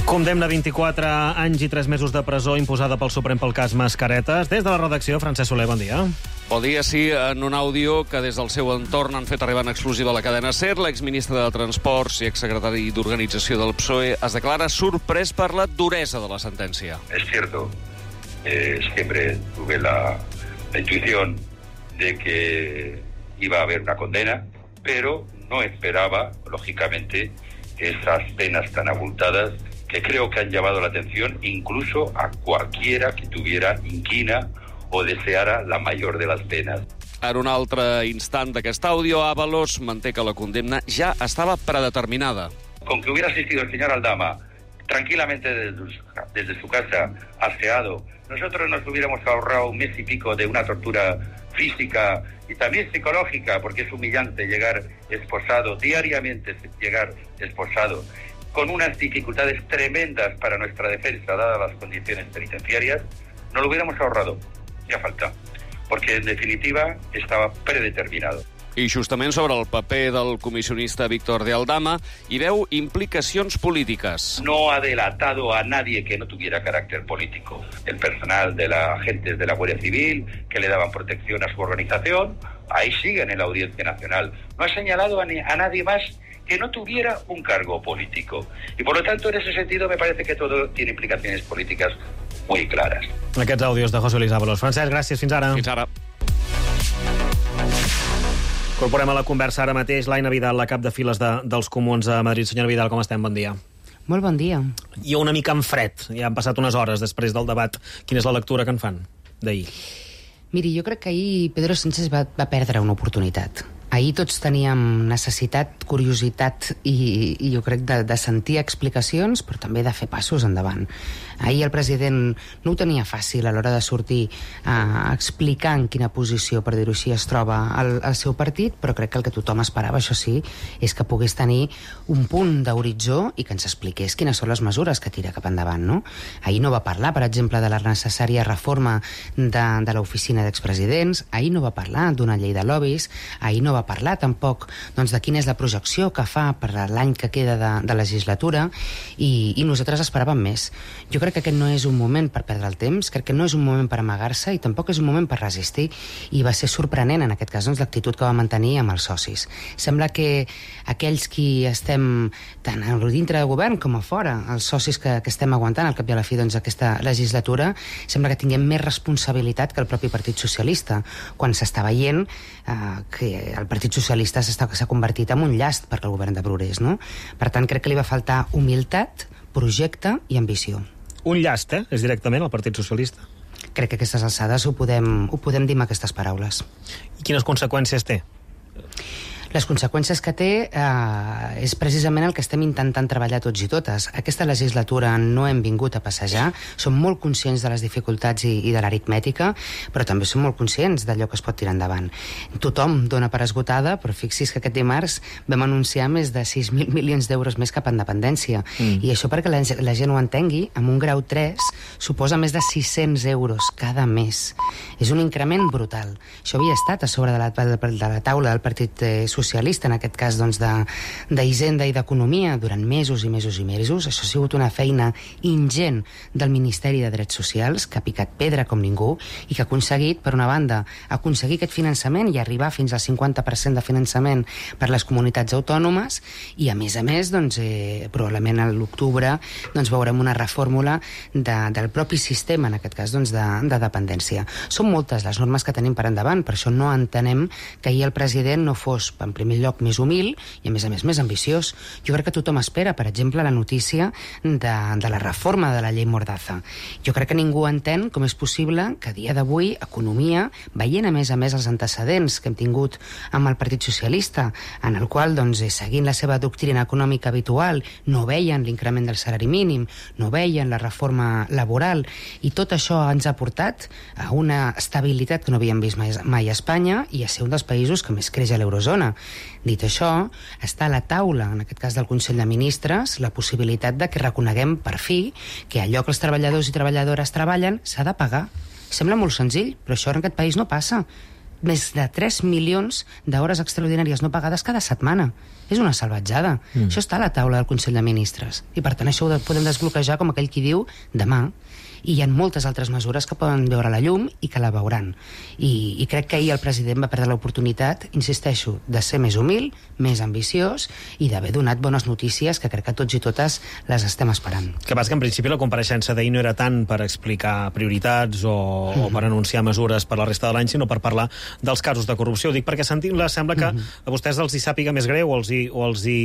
Condemna vint-i-quatre anys i tres mesos de presó imposada pel Suprem pel cas Mascaretes. Des de la redacció, Francesc Soler, bon dia. Bon dia, sí, en un àudio que des del seu entorn han fet arribar en exclusiva a la cadena SER, l'exministre de Transports i exsecretari d'Organització del P S O E es declara sorprès per la duresa de la sentència. Es cierto, eh, siempre tuve la, la intuición de que iba a haber una condena, pero no esperaba, lógicamente, esas penas tan abultadas que creo que han llamado la atención incluso a cualquiera que tuviera inquina o deseara la mayor de las penas. En un altre instant d'aquest àudio, Ábalos manté que la condemna ja estava predeterminada. Con que hubiera asistido el señor Aldama tranquilamente desde, desde su casa, aseado, nosotros nos hubiéramos ahorrado un mes y pico de una tortura física y también psicológica, porque es humillante llegar esposado, diariamente llegar esposado, con unas dificultades tremendas para nuestra defensa, dadas las condiciones penitenciarias, no lo hubiéramos ahorrado. Ya falta, porque en definitiva estava predeterminado. I justament sobre el paper del comissionista Víctor de Aldama hi veu implicacions polítiques. No ha delatado a nadie que no tuviera carácter político. El personal de la agentes de la Guardia Civil que le daban protección a su organización, ahí siguen en la Audiencia Nacional. No ha señalado a, ni, a nadie más que no tuviera un cargo político. Y por lo tanto, en ese sentido, me parece que todo tiene implicaciones políticas muy claras. Aquests àudios de José Luis Ábalos. Francesc, gràcies. Fins ara. Fins ara. Incorporem a la conversa ara mateix l'Aina Vidal, la cap de files de, dels Comuns a Madrid. Senyora Vidal, com estem? Bon dia. Molt bon dia. I una mica en fred. Ja han passat unes hores després del debat. Quina és la lectura que en fan d'ahir? Miri, jo crec que ahir Pedro Sánchez va, va perdre una oportunitat. Ahir tots teníem necessitat, curiositat i, i jo crec de, de sentir explicacions, però també de fer passos endavant. Ahir el president no ho tenia fàcil a l'hora de sortir a explicar en quina posició, per dir-ho així, es troba el, el seu partit, però crec que el que tothom esperava, això sí, és que pogués tenir un punt d'horitzó i que ens expliqués quines són les mesures que tira cap endavant, no? Ahir no va parlar, per exemple, de la necessària reforma de, de l'oficina d'expresidents, ahir no va parlar d'una llei de lobbies, ahir no va parlar tampoc doncs, de quina és la projecció que fa per l'any que queda de, de legislatura i, i nosaltres esperàvem més. Jo crec que aquest no és un moment per perdre el temps, crec que no és un moment per amagar-se i tampoc és un moment per resistir, i va ser sorprenent en aquest cas doncs, l'actitud que va mantenir amb els socis. Sembla que aquells qui estem tant a dintre de govern com a fora, els socis que, que estem aguantant al cap i a la fi doncs, aquesta legislatura, sembla que tinguem més responsabilitat que el propi Partit Socialista, quan s'està veient eh, que el Partit Socialista s'ha convertit en un llast per al govern de Progrés, no? Per tant, crec que li va faltar humilitat, projecte i ambició. Un llast, eh? És directament el Partit Socialista. Crec que a aquestes alçades ho podem, ho podem dir amb aquestes paraules. I quines conseqüències té? Les conseqüències que té eh, és precisament el que estem intentant treballar tots i totes. Aquesta legislatura no hem vingut a passejar, som molt conscients de les dificultats i, i de l'aritmètica, però també som molt conscients d'allò que es pot tirar endavant. Tothom dona per esgotada, però fixi's que aquest dimarts vam anunciar més de sis mil milions d'euros més cap a independència. Mm. I això, perquè la, la gent ho entengui, amb un grau tres suposa més de sis-cents euros cada mes. És un increment brutal. Això havia estat a sobre de la, de la taula del Partit Socialista, en aquest cas doncs, d'Hisenda i d'Economia, durant mesos i mesos i mesos. Això ha sigut una feina ingent del Ministeri de Drets Socials, que ha picat pedra com ningú i que ha aconseguit, per una banda, aconseguir aquest finançament i arribar fins al cinquanta per cent de finançament per les comunitats autònomes i, a més a més, doncs, eh, probablement a l'octubre doncs, veurem una reformula de, del propi sistema, en aquest cas, doncs, de, de dependència. Són moltes les normes que tenim per endavant, per això no entenem que ahir el president no fos, en primer lloc, més humil i, a més a més, més ambiciós. Jo crec que tothom espera, per exemple, la notícia de, de la reforma de la llei Mordaza. Jo crec que ningú entén com és possible que a dia d'avui Economia, veient a més a més els antecedents que hem tingut amb el Partit Socialista, en el qual, doncs, seguint la seva doctrina econòmica habitual, no veien l'increment del salari mínim, no veien la reforma laboral, i tot això ens ha portat a una estabilitat que no havíem vist mai, mai a Espanya i a ser un dels països que més creix a l'eurozona. Dit això, està a la taula, en aquest cas del Consell de Ministres, la possibilitat de que reconeguem per fi que allò que els treballadors i treballadores treballen s'ha de pagar. Sembla molt senzill, però això en aquest país no passa. Més de tres milions d'hores extraordinàries no pagades cada setmana. És una salvatjada. Mm. Això està a la taula del Consell de Ministres. I per tant això ho podem desbloquejar, com aquell qui diu, demà. I hi ha moltes altres mesures que poden veure la llum i que la veuran. I, i crec que ahir el president va perdre l'oportunitat, insisteixo, de ser més humil, més ambiciós i d'haver donat bones notícies que crec que tots i totes les estem esperant. Que passa que en principi la compareixença d'ahir no era tant per explicar prioritats o, mm-hmm. o per anunciar mesures per la resta de l'any, sinó per parlar dels casos de corrupció. Ho dic perquè sentint-la sembla que mm-hmm. a vostès els hi sàpiga més greu o els hi, o els hi,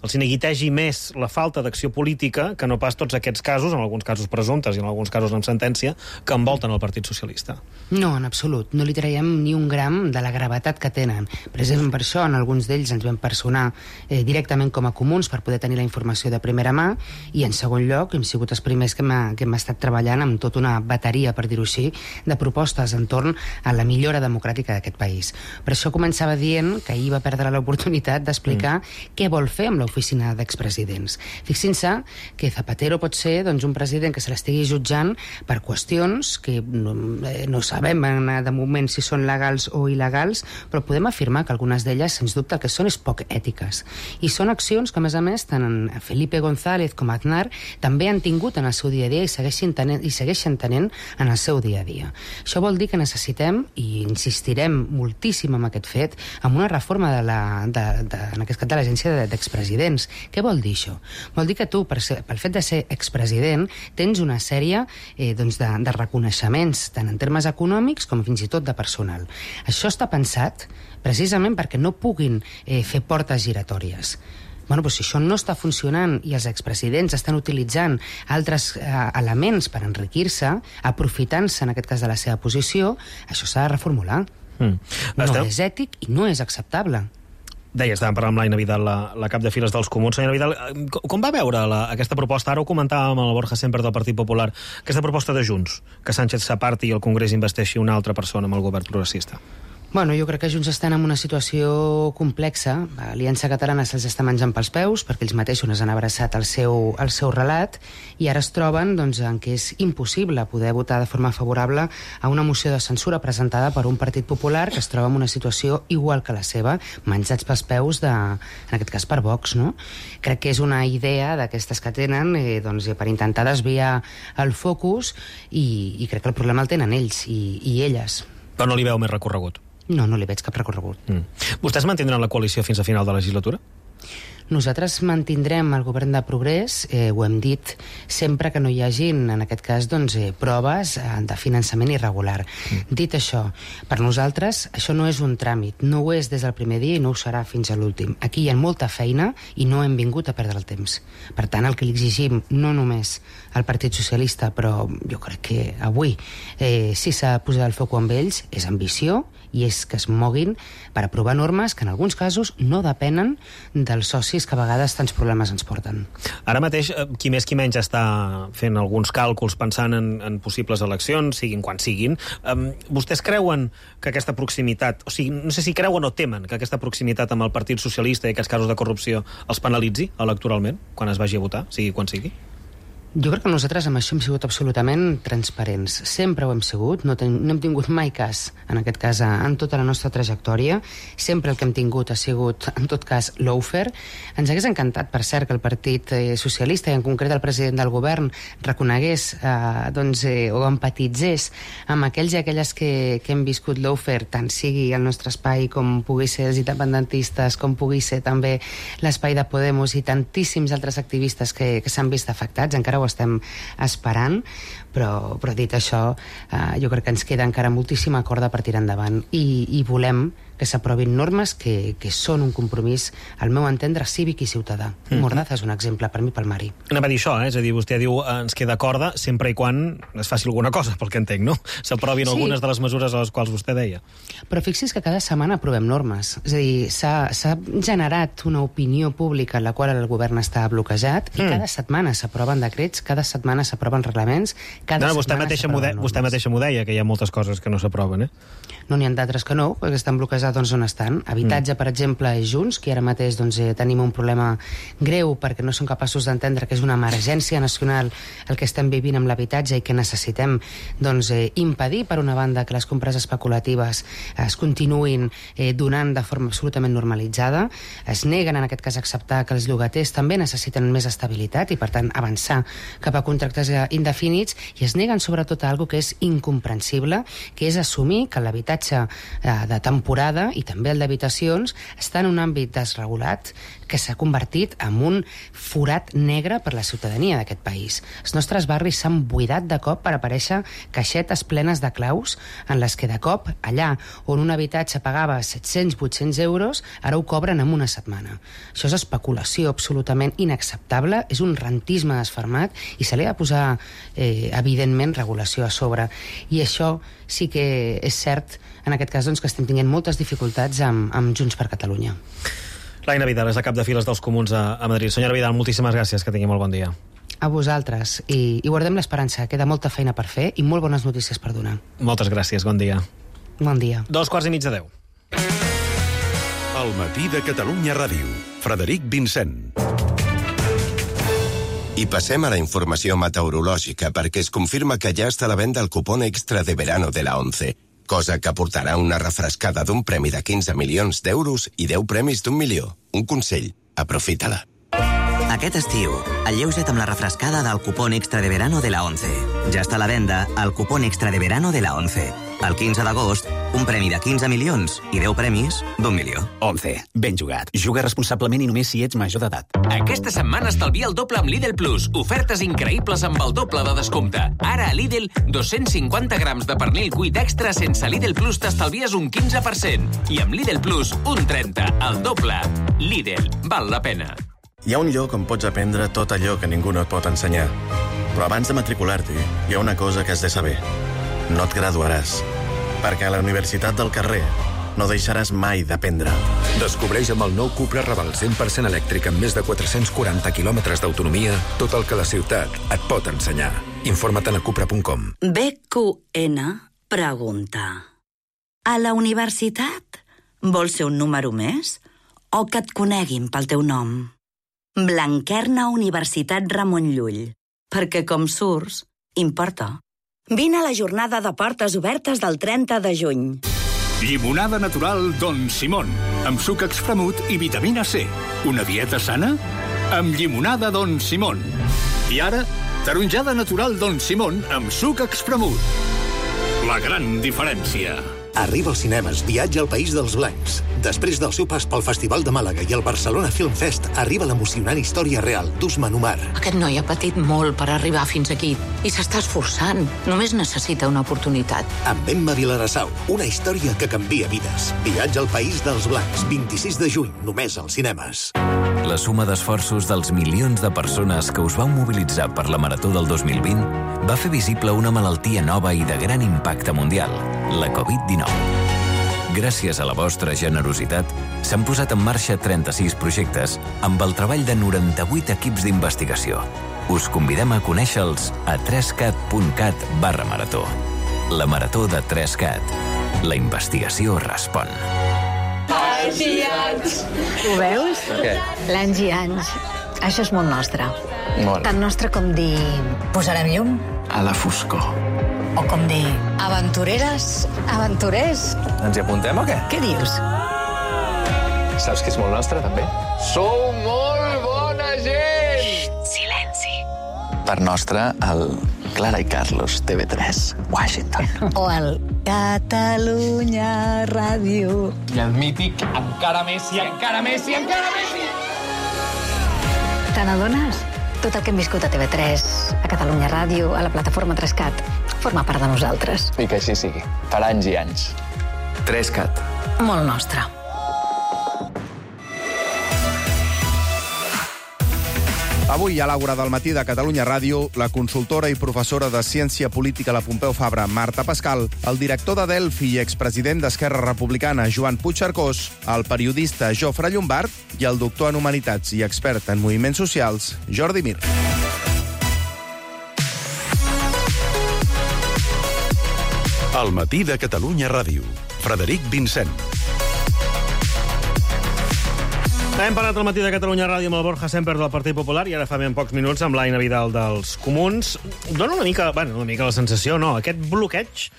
els hi neguitegi més la falta d'acció política que no pas tots aquests casos, en alguns casos presumptes i en alguns casos amb sentència, que envolten el Partit Socialista. No, en absolut. No li traiem ni un gram de la gravetat que tenen. Precisament per això, en alguns d'ells ens vam personar eh, directament com a comuns per poder tenir la informació de primera mà, i en segon lloc hem sigut els primers que hem, que hem estat treballant amb tota una bateria, per dir-ho així, de propostes entorn a la millora democràtica d'aquest país. Per això començava dient que ahir va perdre l'oportunitat d'explicar mm. què vol fer amb l'oficina d'expresidents. Fixin-se que Zapatero pot ser, doncs, un president que se l'estigui jutjant per qüestions que no, eh, no sabem de moment si són legals o il·legals, però podem afirmar que algunes d'elles, sens dubte, que són és poc ètiques. I són accions que, a més a més, tant en Felipe González com Aznar també han tingut en el seu dia a dia i segueixen tenent, i segueixen tenint en el seu dia a dia. Això vol dir que necessitem, i insistirem moltíssim en aquest fet, amb una reforma de la, de, de, en aquest cas de l'agència d'expresidents. Què vol dir això? Vol dir que tu, per ser, pel fet de ser expresident, tens una sèrie Eh, doncs de, de reconeixements tant en termes econòmics com fins i tot de personal. Això està pensat precisament perquè no puguin eh, fer portes giratòries. Bueno, doncs si això no està funcionant i els expresidents estan utilitzant altres eh, elements per enriquir-se, aprofitant-se en aquest cas de la seva posició, això s'ha de reformular. Mm. No Esteu... és ètic i no és acceptable. Deia, estàvem parlant amb l'Aina Vidal, la, la cap de files dels Comuns. Senyora Vidal, com va veure la, aquesta proposta? Ara ho comentàvem amb el Borja Semper del Partit Popular, aquesta proposta de Junts, que Sánchez s'aparti i el Congrés investeixi una altra persona amb el govern progressista. Bueno, jo crec que Junts estan en una situació complexa. L'Aliança Catalana se'ls està menjant pels peus perquè ells mateixos han abraçat el seu, el seu relat i ara es troben doncs, en què és impossible poder votar de forma favorable a una moció de censura presentada per un Partit Popular que es troba en una situació igual que la seva, menjats pels peus, de, en aquest cas per Vox. No? Crec que és una idea d'aquestes que tenen eh, doncs, per intentar desviar el focus i, i crec que el problema el tenen ells i, i elles. Però no li veu més recorregut? No, no li veig cap recorregut. Mm. Vostès mantindran la coalició fins a final de la legislatura? Nosaltres mantindrem el govern de progrés, eh, ho hem dit, sempre que no hi hagin, en aquest cas, doncs, eh, proves eh, de finançament irregular. Mm. Dit això, per nosaltres això no és un tràmit, no ho és des del primer dia i no ho serà fins a l'últim. Aquí hi ha molta feina i no hem vingut a perdre el temps. Per tant, el que li exigim, no només al Partit Socialista, però jo crec que avui, eh, si s'ha de posar el foc amb ells, és ambició i és que es moguin per aprovar normes que en alguns casos no depenen dels socis que a vegades tants problemes ens porten. Ara mateix, qui més qui menys està fent alguns càlculs pensant en, en possibles eleccions, siguin quan siguin. Um, vostès creuen que aquesta proximitat, o sigui, no sé si creuen o temen que aquesta proximitat amb el Partit Socialista i aquests casos de corrupció els penalitzi electoralment quan es vagi a votar, sigui quan sigui? Jo crec que nosaltres amb això hem sigut absolutament transparents. Sempre ho hem sigut, no, ten, no hem tingut mai cas, en aquest cas, en tota la nostra trajectòria. Sempre el que hem tingut ha sigut, en tot cas, lawfare. Ens hagués encantat, per cert, que el Partit eh, Socialista, i en concret el president del govern, reconegués eh, doncs, eh, o empatitzés amb aquells i aquelles que, que hem viscut lawfare, tant sigui el nostre espai com pugui ser els independentistes, com pugui ser també l'espai de Podemos i tantíssims altres activistes que, que s'han vist afectats. Encara ho estem esperant, però, però dit això, eh, jo crec que ens queda encara moltíssima corda per tirar endavant i, i volem que s'aprovin normes que, que són un compromís, al meu entendre, cívic i ciutadà. Mm-hmm. Mordaza és un exemple per mi, pel Mari. Anem a dir això, eh? És a dir, vostè diu eh, ens queda corda sempre i quan es faci alguna cosa, pel que entenc, no? S'aprovin sí. algunes de les mesures a les quals vostè deia. Però fixi's que cada setmana aprovem normes. És a dir, s'ha generat una opinió pública en la qual el govern està bloquejat i mm. cada setmana s'aproven decrets, cada setmana s'aproven reglaments, cada no, no, vostè setmana mateixa s'aproven normes. Vostè mateixa m'ho deia, que hi ha moltes coses que no s'aproven, eh? No n'hi ha d'altres que no, perquè estan bloquejats doncs, on estan. Habitatge, mm. per exemple, és Junts, que ara mateix doncs, eh, tenim un problema greu perquè no som capaços d'entendre que és una emergència nacional el que estem vivint amb l'habitatge i que necessitem doncs, eh, impedir, per una banda, que les compres especulatives es continuïn eh, donant de forma absolutament normalitzada. Es neguen, en aquest cas, a acceptar que els llogaters també necessiten més estabilitat i, per tant, avançar cap a contractes indefinits, i es neguen, sobretot, a algo que és incomprensible, que és assumir que l'habitatge de temporada i també el d'habitacions està en un àmbit desregulat que s'ha convertit en un forat negre per la ciutadania d'aquest país. Els nostres barris s'han buidat de cop per aparèixer caixetes plenes de claus en les que de cop allà on un habitatge pagava set-cents vuit-cents euros ara ho cobren en una setmana. Això és especulació absolutament inacceptable, és un rentisme desfermat i se li ha de posar eh, evidentment regulació a sobre. I això sí que és cert, en aquest cas, doncs, que estem tenint moltes dificultats amb, amb Junts per Catalunya. Laïna Vidal és la cap de files dels Comuns a, a Madrid. Senyora Vidal, moltíssimes gràcies, que tingui molt bon dia. A vosaltres, i, i guardem l'esperança. Queda molta feina per fer i molt bones notícies per donar. Moltes gràcies, bon dia. Bon dia. Dos quarts i mig de deu. El matí de Catalunya Ràdio. Frederic Vincent. I passem a la informació meteorològica perquè es confirma que ja està a la venda el cupón extra de verano de la ONCE, cosa que portarà una refrescada d'un premi de quinze milions d'euros i deu premis d'un milió. Un consell, aprofita-la. Aquest estiu, alleuja't amb la refrescada del cupón extra de verano de la ONCE. Ja està a la venda el cupón extra de verano de la ONCE. El quinze d'agost, un premi de quinze milions i deu premis d'un milió. ONCE. Ben jugat. Juga responsablement i només si ets major d'edat. Aquesta setmana estalvia el doble amb Lidl Plus. Ofertes increïbles amb el doble de descompte. Ara a Lidl, dos-cents cinquanta grams de pernil cuit extra sense Lidl Plus t'estalvies un quinze per cent. I amb Lidl Plus, un trenta, el doble. Lidl, val la pena. Hi ha un lloc on pots aprendre tot allò que ningú no et pot ensenyar. Però abans de matricular-t'hi, hi ha una cosa que has de saber. No et graduaràs. Perquè a la Universitat del Carrer no deixaràs mai d'aprendre. Descobreix amb el nou Cupra Raval cent per cent elèctric amb més de quatre-cents quaranta quilòmetres d'autonomia tot el que la ciutat et pot ensenyar. Informa't a cupra punt com. B Q N pregunta: a la universitat vols ser un número més o que et coneguin pel teu nom? Blanquerna Universitat Ramon Llull, perquè com surts, importa. Vine a la jornada de portes obertes del trenta de juny. Llimonada natural Don Simón, amb suc extremut i vitamina C. Una dieta sana? Amb llimonada Don Simón. I ara, taronjada natural Don Simón amb suc extremut. La gran diferència. Arriba als cinemes Viatge al País dels Blancs. Després del seu pas pel Festival de Màlaga i el Barcelona Film Fest, arriba l'emocionant història real d'Usman Umar. Aquest noi ha patit molt per arribar fins aquí i s'està esforçant. Només necessita una oportunitat. Amb Emma Vilarassau, una història que canvia vides. Viatge al País dels Blancs, vint-i-sis de juny, només als cinemes. La suma d'esforços dels milions de persones que us vau mobilitzar per la Marató del dos mil vint va fer visible una malaltia nova i de gran impacte mundial, la covid dinou. Gràcies a la vostra generositat, s'han posat en marxa trenta-sis projectes amb el treball de noranta-vuit equips d'investigació. Us convidem a conèixer-los a trescat punt cat barra marató. La Marató de trescat. La investigació respon. Anys i anys. Ho veus? Què? L'anys i anys. Això és molt nostre. Molt. Tan nostre com dir posarem llum A la foscor. o com dir aventureres, aventurers. Ens hi apuntem o què? Què dius? Saps que és molt nostre, també? Sou molt bona gent! Xxt, silenci. Per nostre, el Clara i Carlos, T V tres, Washington. O el Catalunya Ràdio. I el mític Encara Messi, encara Messi, encara Messi! Te n'adones? Tot el que hem viscut a T V tres, a Catalunya Ràdio, a la plataforma trescat, forma part de nosaltres. I que així sigui. Per anys i anys. trescat. Molt nostre. Avui, a l'Àgora del matí de Catalunya Ràdio, la consultora i professora de Ciència Política a la Pompeu Fabra, Marta Pascal, el director de Delphi i expresident d'Esquerra Republicana, Joan Puigcercós, el periodista Jofre Llombart i el doctor en Humanitats i expert en moviments socials, Jordi Mir. Al matí de Catalunya Ràdio. Frederic Vincent. Hem parlat al matí de Catalunya Ràdio amb el Borja Semper del Partit Popular i ara fa ben pocs minuts amb l'Aina Vidal dels Comuns. Dóna una mica, bueno, una mica la sensació, no, aquest bloqueig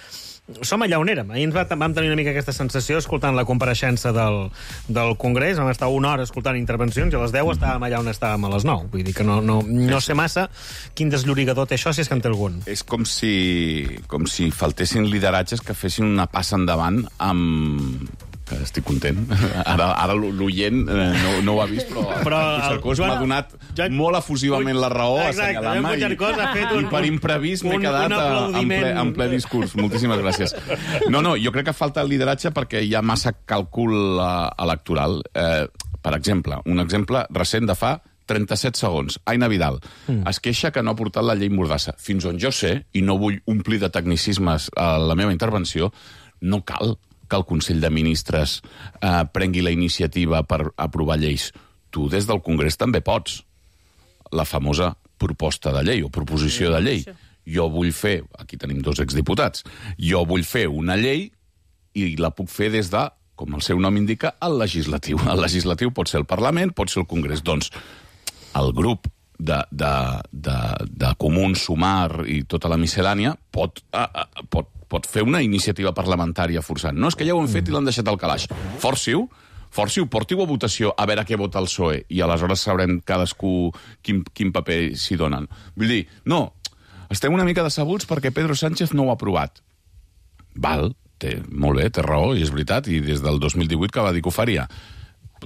som allà on érem. Ahir ens va, vam tenir una mica aquesta sensació escoltant la compareixença del, del Congrés. Vam estar una hora escoltant intervencions i a les deu estàvem allà on estàvem a les nou. Vull dir que no, no, no sé massa quin desllorigador té això, si és que en té algun. És com si, com si faltessin lideratges que fessin una passa endavant amb... que estic content. Ara, ara l'oient eh, no, no ho ha vist, però, però Puigcercós m'ha donat Joan, molt efusivament la raó, assenyalant-me, i, i per imprevist m'he quedat en ple, en ple discurs. Moltíssimes gràcies. No, no, jo crec que falta el lideratge perquè hi ha massa càlcul uh, electoral. Eh, per exemple, un exemple recent de fa trenta-set segons. Aina Vidal mm. es queixa que no ha portat la llei Mordassa. Fins on jo sé, i no vull omplir de tecnicismes a la meva intervenció, no cal que el Consell de Ministres eh, prengui la iniciativa per aprovar lleis. Tu, des del Congrés, també pots. La famosa proposta de llei o proposició de llei. Jo vull fer, aquí tenim dos exdiputats, jo vull fer una llei i la puc fer des de, com el seu nom indica, el legislatiu. El legislatiu pot ser el Parlament, pot ser el Congrés. Doncs el grup de, de, de, de Comuns, Sumar i tota la miscel·lània pot, uh, pot pot fer una iniciativa parlamentària forçant. No, és que ja ho han fet i l'han deixat al calaix. Forci-ho, forci-ho, porti-ho a votació a veure què vota el P S O E i aleshores sabrem cadascú quin, quin paper s'hi donen. Vull dir, no, estem una mica decebuts perquè Pedro Sánchez no ho ha aprovat. Val, té, molt bé, té raó, i és veritat, i des del dos mil divuit que va dir que ho faria.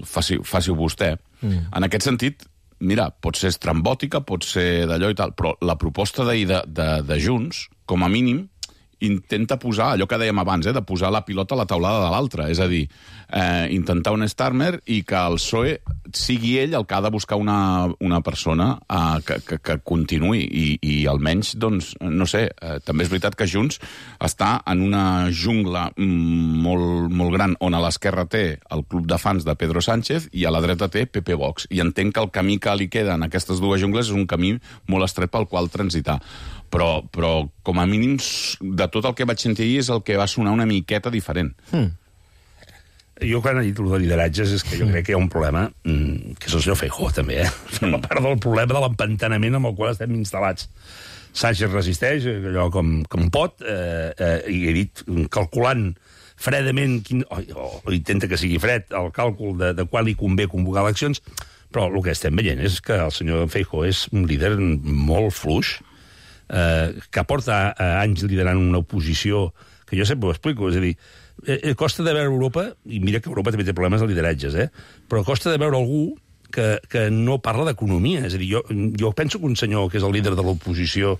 Faci-ho faci vostè. Mm. En aquest sentit, mira, pot ser estrambòtica, pot ser d'allò i tal, però la proposta d'ahir de, de, de Junts, com a mínim, intenta posar, allò que dèiem abans, eh, de posar la pilota a la taulada de l'altre, és a dir, eh, intentar un Starmer i que el P S O E sigui ell el que ha de buscar una, una persona eh, que, que, que continuï i, i almenys, doncs, no sé, eh, també és veritat que Junts està en una jungla molt, molt gran on a l'esquerra té el club de fans de Pedro Sánchez i a la dreta té P P Vox, i entenc que el camí que li queda en aquestes dues jungles és un camí molt estret pel qual transitar. Però, però com a mínim, de tot el que vaig sentir ahir és el que va sonar una miqueta diferent. Mm. Jo, quan he dit el de lideratges, és que jo crec que hi ha un problema, mmm, que és el senyor Feijóo, també, eh? Mm. A part del problema de l'empantanament amb el qual estem instal·lats. Sánchez resisteix, allò com, com pot, eh, eh, i he dit, calculant fredament, quin, o, o intenta que sigui fred, el càlcul de, de quan li convé convocar eleccions, però el que estem veient és que el senyor Feijóo és un líder molt fluix, Eh, que porta eh, anys liderant una oposició que jo sempre ho explico, és a dir, eh, costa de veure Europa, i mira que Europa també té problemes de lideratges, eh? però costa de veure algú que, que no parla d'economia. És a dir, jo, jo penso que un senyor que és el líder de l'oposició,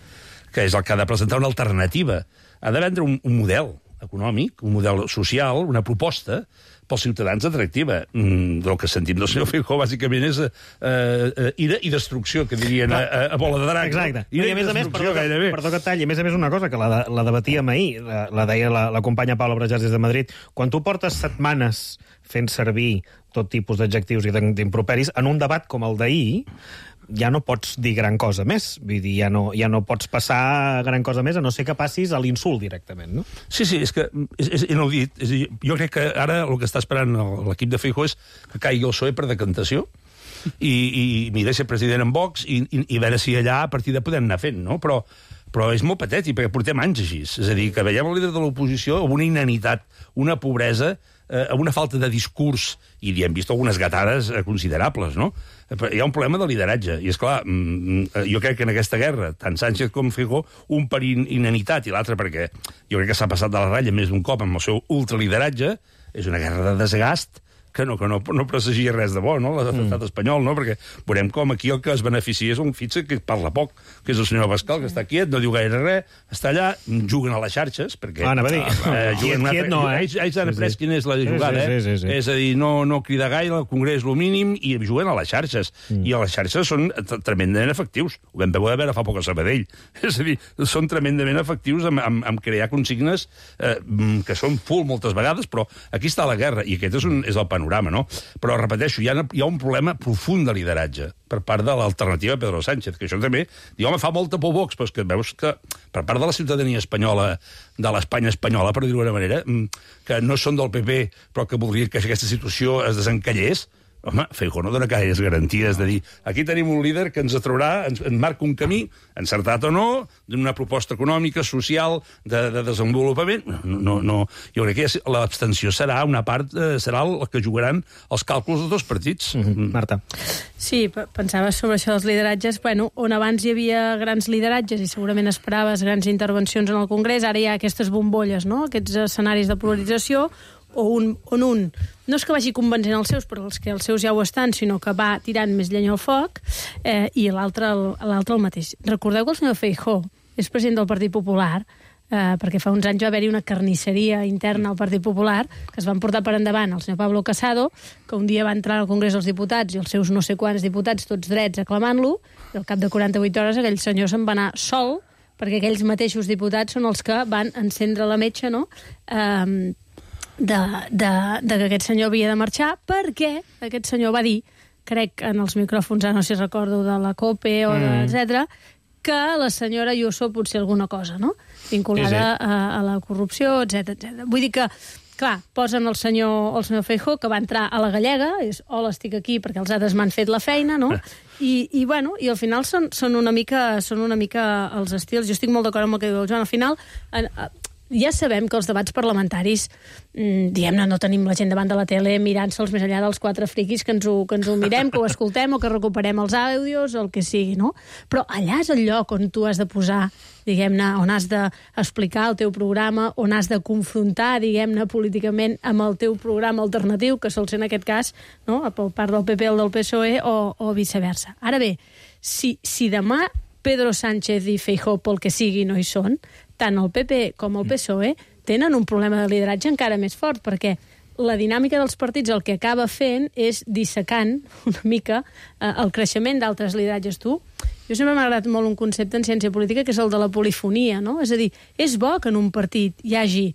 que és el que ha de presentar una alternativa, ha de vendre un, un model econòmic, un model social, una proposta pels ciutadans atractiva. Mm, el que sentim del senyor Feijóo, bàsicament, és eh, eh, ira i destrucció, que dirien a, a, a bola de drac. Exacte. Ira I a i més a més, destrucció, perdó, gairebé. perdó que et talli, a més a més una cosa, que la, la debatíem ahir, la, la deia la, la companya Paula Brajàs des de Madrid, quan tu portes setmanes fent servir tot tipus d'adjectius i d'improperis, en un debat com el d'ahir, ja no pots dir gran cosa més. Vull dir, ja no, ja no pots passar gran cosa més, a no ser que passis a l'insult directament, no? Sí, sí, és que és, és inaudit. És, jo crec que ara el que està esperant l'equip de Feijóo és que caigui el P S O E per decantació i, i mira, ser president en Vox i, i, i veure si allà a partir de podem anar fent, no? Però, però és molt patètic, perquè portem anys així. És a dir, que veiem el líder de l'oposició amb una inanitat, una pobresa, eh, una falta de discurs, i hem vist algunes gatades eh, considerables, no? Hi ha un problema de lideratge, i és clar, jo crec que en aquesta guerra, tant Sánchez com Feijóo, un per inanitat i l'altre perquè jo crec que s'ha passat de la ratlla més d'un cop amb el seu ultralideratge, és una guerra de desgast que no, que no, no presagia res de bo, no?, l'estat mm. espanyol, no?, perquè veurem com aquí el que es beneficia és un fitxa que parla poc, que és el senyor Abascal, que està quiet, no diu gaire res, està allà, juguen a les xarxes, perquè... Ah, anava a dir. Eh, quiet, una... quiet no, eh? Ells, ells han après quina és la jugada, sí, sí, sí, sí. eh? És a dir, no, no cridar gaire, el Congrés lo mínim, i juguen a les xarxes. Mm. I a les xarxes són tremendament efectius. Ho vam veure fa poc a Sabadell. És a dir, són tremendament efectius en, en, en crear consignes eh, que són full moltes vegades, però aquí està la guerra, i aquest és, un, és el panorama, no? Però, repeteixo, hi ha, hi ha un problema profund de lideratge per part de l'alternativa Pedro Sánchez, que això també, diu, home, fa molta por Vox, però és que veus que per part de la ciutadania espanyola, de l'Espanya espanyola, per dir-ho d'una manera, que no són del P P, però que voldrien que aquesta situació es desencallés, home, Feijóo no dona gaires garanties de dir aquí tenim un líder que ens atraurà, ens, ens marca un camí, encertat o no, d'una proposta econòmica, social, de, de desenvolupament. No, no, no. Jo crec que l'abstenció serà una part, eh, serà el que jugaran els càlculs dels dos partits. Mm-hmm. Marta. Sí, pensava sobre això dels lideratges. Bueno, on abans hi havia grans lideratges i segurament esperaves grans intervencions en el Congrés, ara hi ha aquestes bombolles, no?, aquests escenaris de polarització, o un, on un no és que vagi convencent els seus, però els que els seus ja ho estan, sinó que va tirant més llenya al foc, eh, i l'altre el, l'altre el mateix. Recordeu que el senyor Feijóo és president del Partit Popular, eh, perquè fa uns anys va haver-hi una carnisseria interna al Partit Popular, que es van portar per endavant el senyor Pablo Casado, que un dia va entrar al Congrés dels Diputats i els seus no sé quants diputats, tots drets, aclamant-lo, i al cap de quaranta-vuit hores aquell senyor se'n va anar sol, perquè aquells mateixos diputats són els que van encendre la metxa, no?, eh, De, de, de que aquest senyor havia de marxar, perquè aquest senyor va dir, crec en els micròfons, ara no sé si recordo de la COPE o de, Mm. etcètera, que la senyora Ayuso potser alguna cosa, no?, vinculada Sí, sí. A, a la corrupció, etcètera, etcètera. Vull dir que, clar, posen el senyor, el senyor Feijóo, que va entrar a la gallega, és, hola, estic aquí perquè els altres m'han fet la feina, no?, I, i, bueno, i al final són, són, una mica, són una mica els estils. Jo estic molt d'acord amb el que diu el Joan. Al final, en, ja sabem que els debats parlamentaris, diguem-ne, no tenim la gent davant de la tele mirant-se'ls més enllà dels quatre friquis que ens, ho, que ens ho mirem, que ho escoltem o que recuperem els àudios o el que sigui, no? Però allà és el lloc on tu has de posar, diguem-ne, on has d'explicar el teu programa, on has de confrontar, diguem-ne, políticament amb el teu programa alternatiu, que sol ser en aquest cas, no?, per part del P P o del P S O E o, o viceversa. Ara bé, si, si demà Pedro Sánchez i Feijóo, pel que sigui, no hi són, tant el P P com el P S O E tenen un problema de lideratge encara més fort, perquè la dinàmica dels partits el que acaba fent és dissecant una mica eh, el creixement d'altres lideratges. Tu, jo sempre m'ha agradat molt un concepte en ciència política, que és el de la polifonia, no? És a dir, és bo que en un partit hi hagi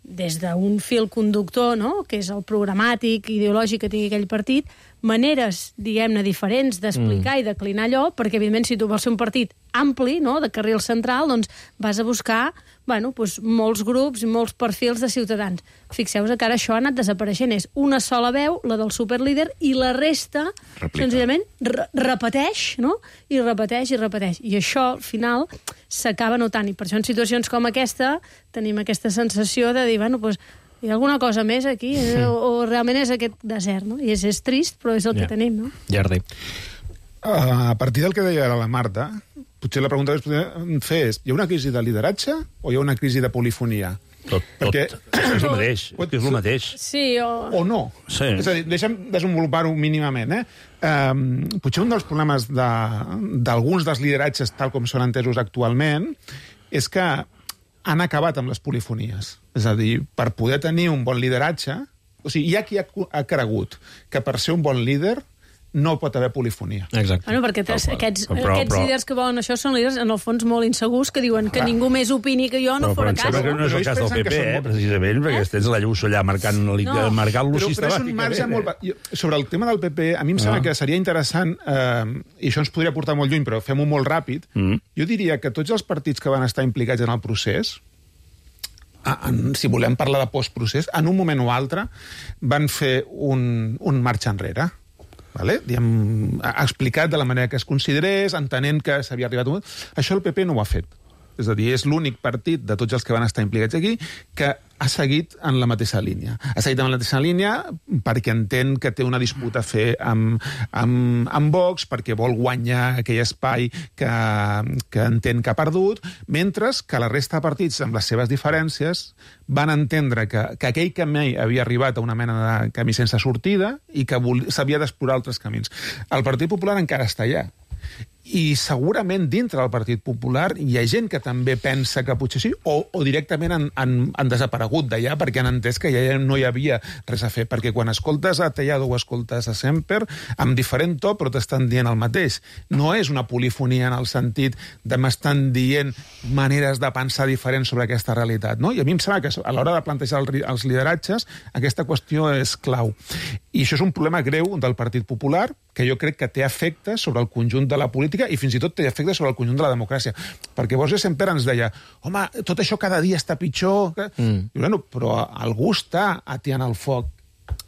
des d'un fil conductor, no?, que és el programàtic, ideològic que tingui aquell partit, maneres, diguem-ne, diferents d'explicar mm. i declinar allò, perquè, evidentment, si tu vols ser un partit ampli, no?, de carril central, doncs vas a buscar, bueno, doncs, molts grups i molts perfils de ciutadans. Fixeu-vos que ara això ha anat desapareixent. És una sola veu, la del superlíder, i la resta, Replica. senzillament, re repeteix, no?, i repeteix i repeteix. I això, al final, s'acaba notant. I per això, en situacions com aquesta, tenim aquesta sensació de dir, bueno, doncs, hi ha alguna cosa més aquí, eh? o, o realment és aquest desert, no? I és, és trist, però és el yeah. que tenim, no? Jordi. Uh, a partir del que deia la Marta, potser la pregunta que es podria fer és, hi ha una crisi de lideratge o hi ha una crisi de polifonia? Tot, tot. Perquè... És el mateix. És el mateix. Sí, o... O no. Sí. És a dir, deixa'm desenvolupar-ho mínimament, eh? Um, potser un dels problemes d'alguns de, dels lideratges, tal com són entesos actualment, és que han acabat amb les polifonies. És a dir, per poder tenir un bon lideratge... O sigui, hi ha qui ha, ha cregut que per ser un bon líder no pot haver polifonia. Exacte. Bueno, perquè tres, aquests, però, aquests però... líders que volen això són líders, en el fons, molt insegurs, que diuen que Clar. ningú més opini que jo no però, fora però cas. que no és el cas del P P, eh, precisament, perquè tens la Lluçó allà marcant, no. marcant-lo però, sistemàticament. Però és un marge molt... Jo, sobre el tema del P P, a mi em sembla ah. que seria interessant, eh, i això ens podria portar molt lluny, però fem-ho molt ràpid, mm. jo diria que tots els partits que van estar implicats en el procés, en, si volem parlar de postprocés, en un moment o altre van fer un, un marxa enrere. Vale? Diem, ha explicat de la manera que es considerés, entenent que s'havia arribat a un... Això el P P no ho ha fet. És a dir, és l'únic partit de tots els que van estar implicats aquí que ha seguit en la mateixa línia. Ha seguit en la mateixa línia perquè entén que té una disputa a fer amb, amb, amb Vox, perquè vol guanyar aquell espai que, que entén que ha perdut, mentre que la resta de partits, amb les seves diferències, van entendre que, que aquell camí havia arribat a una mena de camí sense sortida i que s'havia d'explorar altres camins. El Partit Popular encara està allà. I segurament dintre del Partit Popular hi ha gent que també pensa que potser sí, o, o directament han, han, han desaparegut d'allà perquè han entès que ja no hi havia res a fer. Perquè quan escoltes a Tellado o escoltes a Semper, amb diferent to, però t'estan dient el mateix. No és una polifonia en el sentit de m'estan dient maneres de pensar diferents sobre aquesta realitat. No? I a mi em sembla que a l'hora de plantejar els lideratges aquesta qüestió és clau. I això és un problema greu del Partit Popular, que jo crec que té efectes sobre el conjunt de la política i fins i tot té efectes sobre el conjunt de la democràcia. Perquè Borges sempre ens deia, home, tot això cada dia està pitjor... Mm. I, bueno, però algú està atiant el foc.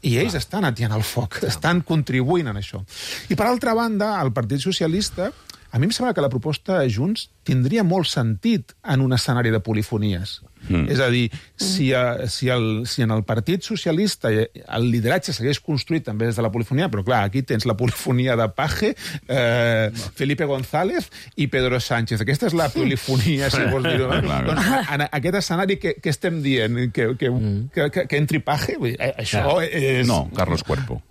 I ells ah. estan atiant el foc, ah. estan contribuint en això. I per altra banda, el Partit Socialista, a mi em sembla que la proposta de Junts tindria molt sentit en un escenari de polifonies. Mm. És a dir, si, a, si, el, si en el Partit Socialista el lideratge s'hagués construït també des de la polifonia, però clar, aquí tens la polifonia de Paje, eh, Felipe González i Pedro Sánchez. Aquesta és la polifonia, si vols dir-ho. Doncs, en aquest escenari, què, què estem dient? Que, que, que, que, que entri Paje? Això és... No, Carlos Cuerpo.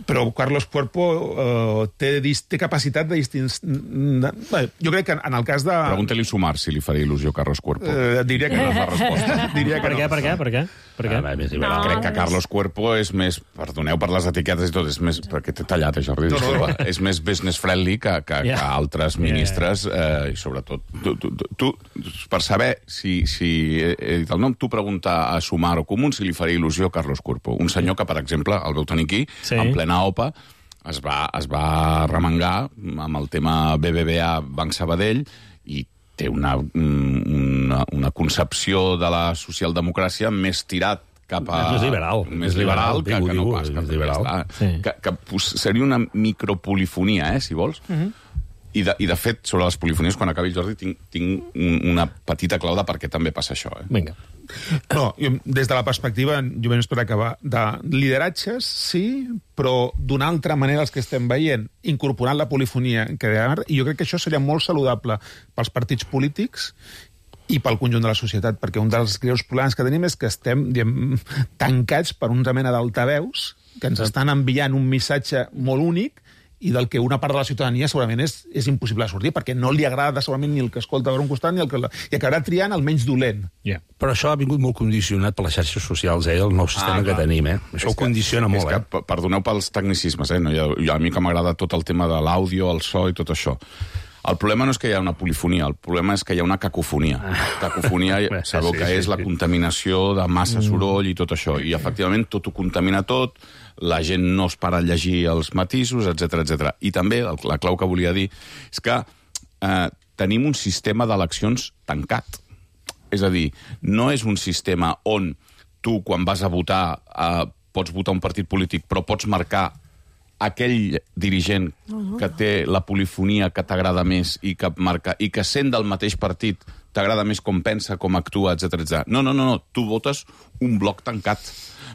Però Carlos Cuerpo uh, té, té capacitat de distingir... Jo crec que en el cas de... Pregunta-li Sumar si li faria il·lusió Carlos Cuerpo. Uh, diria que no és la resposta. Diria que per, no. què, per què? Per què? Per què? Ah, no. Crec que Carlos Cuerpo és més... Perdoneu per les etiquetes i tot, és més... Perquè t'he tallat, Jordi. No, no, no. És més business friendly que, que, yeah. que altres ministres, eh, i sobretot... Tu, tu, tu, per saber si, si he dit el nom, tu pregunta a Sumar o Común si li faria il·lusió Carlos Cuerpo. Un senyor que, per exemple, el veu tenir aquí, sí. en plena O P A, es va, es va remengar amb el tema B B V A Banc Sabadell i té una, una, una concepció de la socialdemocràcia més tirat cap a... És més liberal. Més liberal, que, que no pas. Que, liberal. Sí. que, que pues, seria una micropolifonia, eh, si vols. Uh-huh. I, de, I, de fet, sobre les polifonies, quan acabi el Jordi, tinc, tinc una petita clau de per què també passa això. Eh? Vinga. No, jo, des de la perspectiva, jo menys per acabar, de lideratges, sí, però d'una altra manera els que estem veient, incorporant la polifonia, que, i jo crec que això seria molt saludable pels partits polítics i pel conjunt de la societat, perquè un dels greus problemes que tenim és que estem, diem, tancats per una mena d'altaveus que ens estan enviant un missatge molt únic i del que una part de la ciutadania segurament és, és impossible de sortir, perquè no li agrada segurament ni el que escolta per un costat ni el que... I acabarà triant el menys dolent. Yeah. Però això ha vingut molt condicionat per les xarxes socials, eh, el nou sistema ah, que tenim, eh? Això és ho condiciona que, molt, és que, eh? Perdoneu pels tecnicismes, eh? No, jo, jo, a mi que m'agrada tot el tema de l'àudio, el so i tot això. El problema no és que hi ha una polifonia, el problema és que hi ha una cacofonia. Cacofonia, sabeu sí, que sí, és sí. la contaminació de massa soroll i tot això. I, efectivament, tot ho contamina tot, la gent no es para a llegir els matisos, etcètera, etcètera. I també, la clau que volia dir, és que eh, tenim un sistema d'eleccions tancat. És a dir, no és un sistema on tu, quan vas a votar, eh, pots votar un partit polític, però pots marcar aquell dirigent que té la polifonia que t'agrada més i que marca i que sent del mateix partit t'agrada més com pensa, com actua, etcètera, etcètera. No, no, no, no, tu votes un bloc tancat.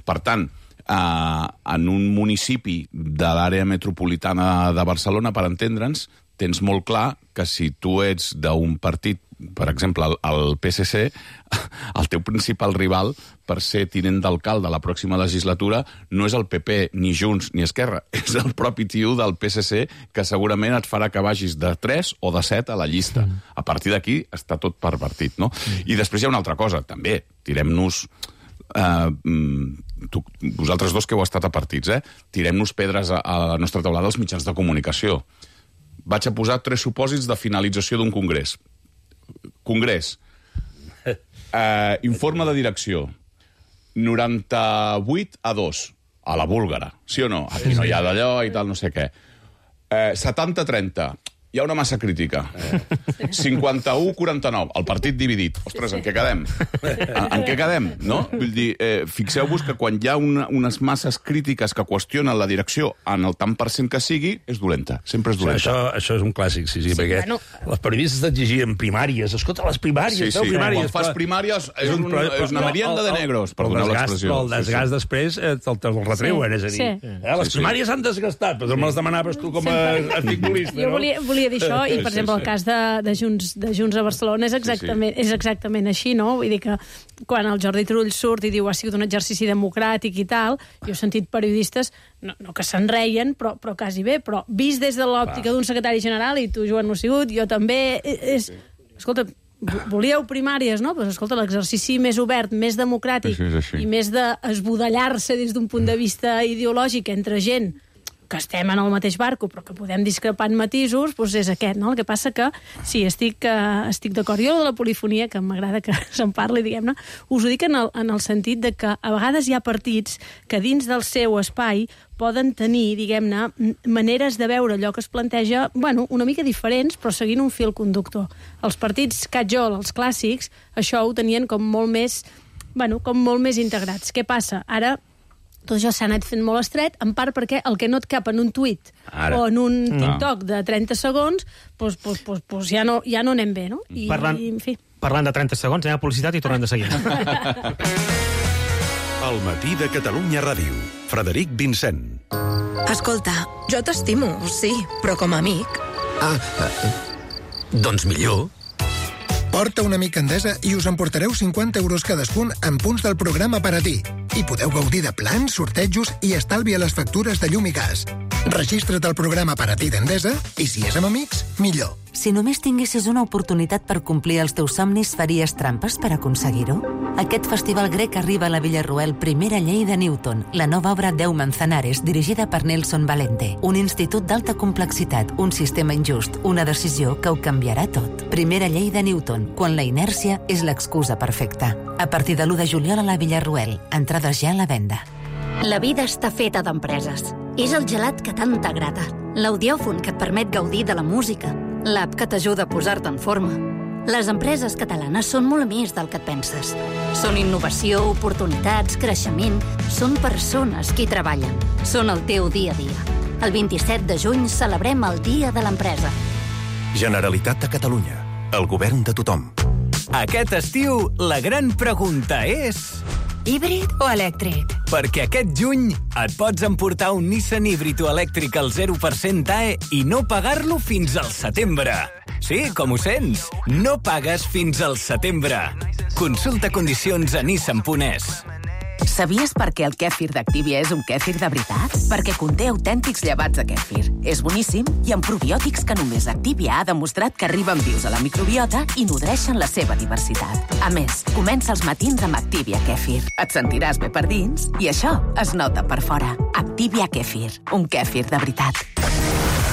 Per tant, eh, en un municipi de l'àrea metropolitana de Barcelona, per entendre'ns, tens molt clar que si tu ets d'un partit per exemple, el, el P S C, el teu principal rival per ser tinent d'alcalde a la pròxima legislatura no és el P P, ni Junts, ni Esquerra, és el propi tio del P S C que segurament et farà que vagis de tres o de set a la llista. A partir d'aquí està tot pervertit, no? I després hi ha una altra cosa, també, tirem-nos... Uh, tu, vosaltres dos que heu estat a partits, eh? Tirem-nos pedres a, a la nostra taulada als mitjans de comunicació. Vaig a posar tres supòsits de finalització d'un congrés. Congrés. Uh, informe de direcció. noranta-vuit a dos. A la búlgara. Sí o no? Aquí no hi ha d'allò i tal, no sé què. Uh, setanta a trenta. Hi ha una massa crítica. cinquanta-u a quaranta-nou. El partit dividit. Ostres, en què quedem? En, en què quedem, no? Vull dir, eh, fixeu-vos que quan hi ha una, unes masses crítiques que qüestionen la direcció en el tant per cent que sigui, és dolenta. Sempre és dolenta. Això, això és un clàssic, sí, sí, sí perquè bueno... els periodistes t'exigien primàries. Escolta, les primàries, sí, sí. primàries. Quan fas primàries és, un, és una merienda de negros, perdoneu l'expressió. Però el desgast sí, sí. després eh, te'l te retreuen, sí. és a dir, sí. eh, les sí, primàries sí. han desgastat, però me les demanaves tu com a articulista, no? Jo volia, volia dir això, i per exemple el cas de, de, Junts, de Junts a Barcelona és exactament, sí, sí. és exactament així, no? Vull dir que quan el Jordi Turull surt i diu ha sigut un exercici democràtic i tal, jo he sentit periodistes, no, no que se'n reien, però, però quasi bé, però vist des de l'òptica d'un secretari general, i tu, Joan, no has sigut, jo també, és... Escolta, volíeu primàries, no? Pues, escolta, l'exercici més obert, més democràtic sí, sí, i més d'esbudellar-se des d'un punt de vista ideològic entre gent que estem en el mateix barco, però que podem discrepar en matisos, doncs és aquest, no? El que passa que, sí, estic, uh, estic d'acord. Jo de la polifonia, que m'agrada que se'n parli, diguem-ne, us ho dic en el, en el sentit de que a vegades hi ha partits que dins del seu espai poden tenir, diguem-ne, maneres de veure allò que es planteja, bueno, una mica diferents, però seguint un fil conductor. Els partits catjol, els clàssics, això ho tenien com molt més, bueno, com molt més integrats. Què passa? Ara tot això s'ha anat fent molt estret, en part perquè el que no et cap en un tuit Ara. o en un TikTok no. de trenta segons, doncs, doncs, doncs, doncs ja, no, ja no anem bé, no? I, parlant, i, en fi. Parlant de trenta segons, anem a publicitat i tornem de seguida. El matí de Catalunya Ràdio. Frederic Vincent. Escolta, jo t'estimo, sí, però com a amic. Ah, eh, doncs millor. Porta una mica Endesa i us emportareu cinquanta euros cadascun en punts del programa per a ti. I podeu gaudir de plans, sortejos i estalvi a les factures de llum i gas. Registra't al programa per a ti d'Endesa i si és amb amics, millor. Si només tinguessis una oportunitat per complir els teus somnis, faries trampes per aconseguir-ho? Aquest festival grec arriba a la Villarroel Primera Llei de Newton, la nova obra Deu Manzanares, dirigida per Nelson Valente. Un institut d'alta complexitat, un sistema injust, una decisió que ho canviarà tot. Primera Llei de Newton, quan la inèrcia és l'excusa perfecta. A partir de l'u de juliol a la Villarroel. Entrades ja a la venda. La vida està feta d'empreses. És el gelat que tant t'agrada. L'audiòfon que et permet gaudir de la música. L'app que t'ajuda a posar-te en forma. Les empreses catalanes són molt més del que et penses. Són innovació, oportunitats, creixement. Són persones qui treballen. Són el teu dia a dia. El vint-i-set de juny celebrem el Dia de l'Empresa. Generalitat de Catalunya. El govern de tothom. Aquest estiu, la gran pregunta és... Híbrid o elèctric? Perquè aquest juny et pots emportar un Nissan híbrid o elèctric al zero per cent A E i no pagar-lo fins al setembre. Sí, com ho sents? No pagues fins al setembre. Consulta condicions a nissan punt es. Sabies per què el kèfir d'Activia és un kèfir de veritat? Perquè conté autèntics llevats de kèfir. És boníssim i amb probiòtics que només Activia ha demostrat que arriben vius a la microbiota i nodreixen la seva diversitat. A més, comença els matins amb Activia Kèfir. Et sentiràs bé per dins i això es nota per fora. Activia Kèfir, un kèfir de veritat.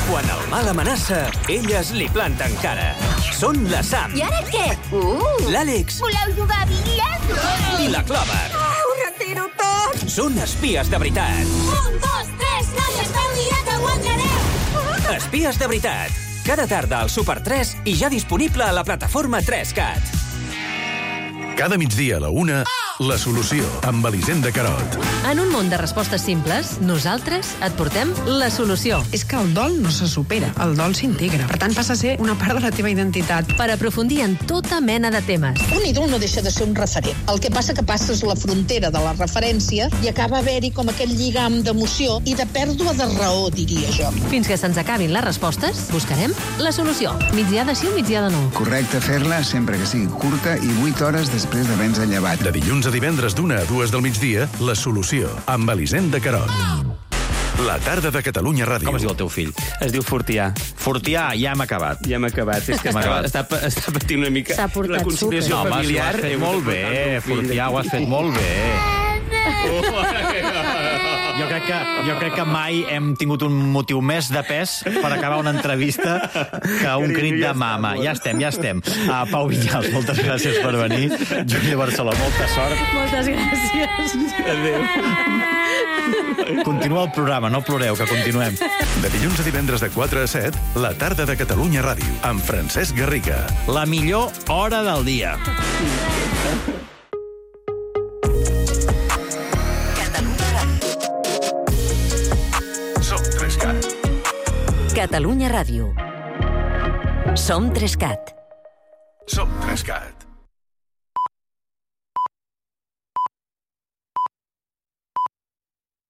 Quan el mal amenaça, elles li planten cara. Són la Sam. I ara què? Uh! L'Àlex. Voleu jugar a bitlles? I la Clover. Uh, ho retiro tot! Són espies de veritat. Un, dos, tres, noies, feu mirar que guanyareu! Uh! Espies de veritat. Cada tarda al Super tres i ja disponible a la plataforma tres cat. Cada migdia a la una... Oh! La solució, amb Elisenda Carot. En un món de respostes simples, nosaltres et portem la solució. És que el dol no se supera, el dol s'integra. Per tant, passa a ser una part de la teva identitat. Per aprofundir en tota mena de temes. Un ídol no deixa de ser un referent. El que passa que passes la frontera de la referència i acaba haver-hi com aquell lligam d'emoció i de pèrdua de raó, diria jo. Fins que se'ns acabin les respostes, buscarem la solució. Migdiada sí o migdiada no? Correcte fer-la sempre que sigui curta i vuit hores després d'haver-nos llevat. De dilluns a divendres d'una a dues del migdia, La Solució, amb Elisenda Carot. La tarda de Catalunya Ràdio. Com es diu el teu fill? Es diu Fortià. Fortià, ja hem acabat. Ja hem acabat. És que està, està, està patint una mica la conciliació no, familiar. Home, ho has fet molt bé, Fortià, ho has fet molt bé. Jo crec, que, jo crec que mai hem tingut un motiu més de pes per acabar una entrevista que un crit de mama. Ja estem, ja estem. Uh, Pau Vinyals, moltes gràcies per venir. Júlia Barceló, molta sort. Moltes gràcies. Adéu. Continua el programa, no ploreu, que continuem. De dilluns a divendres de quatre a set, La tarda de Catalunya Ràdio, amb Francesc Garriga. La millor hora del dia. Catalunya Ràdio. Som Trescat. Som Trescat.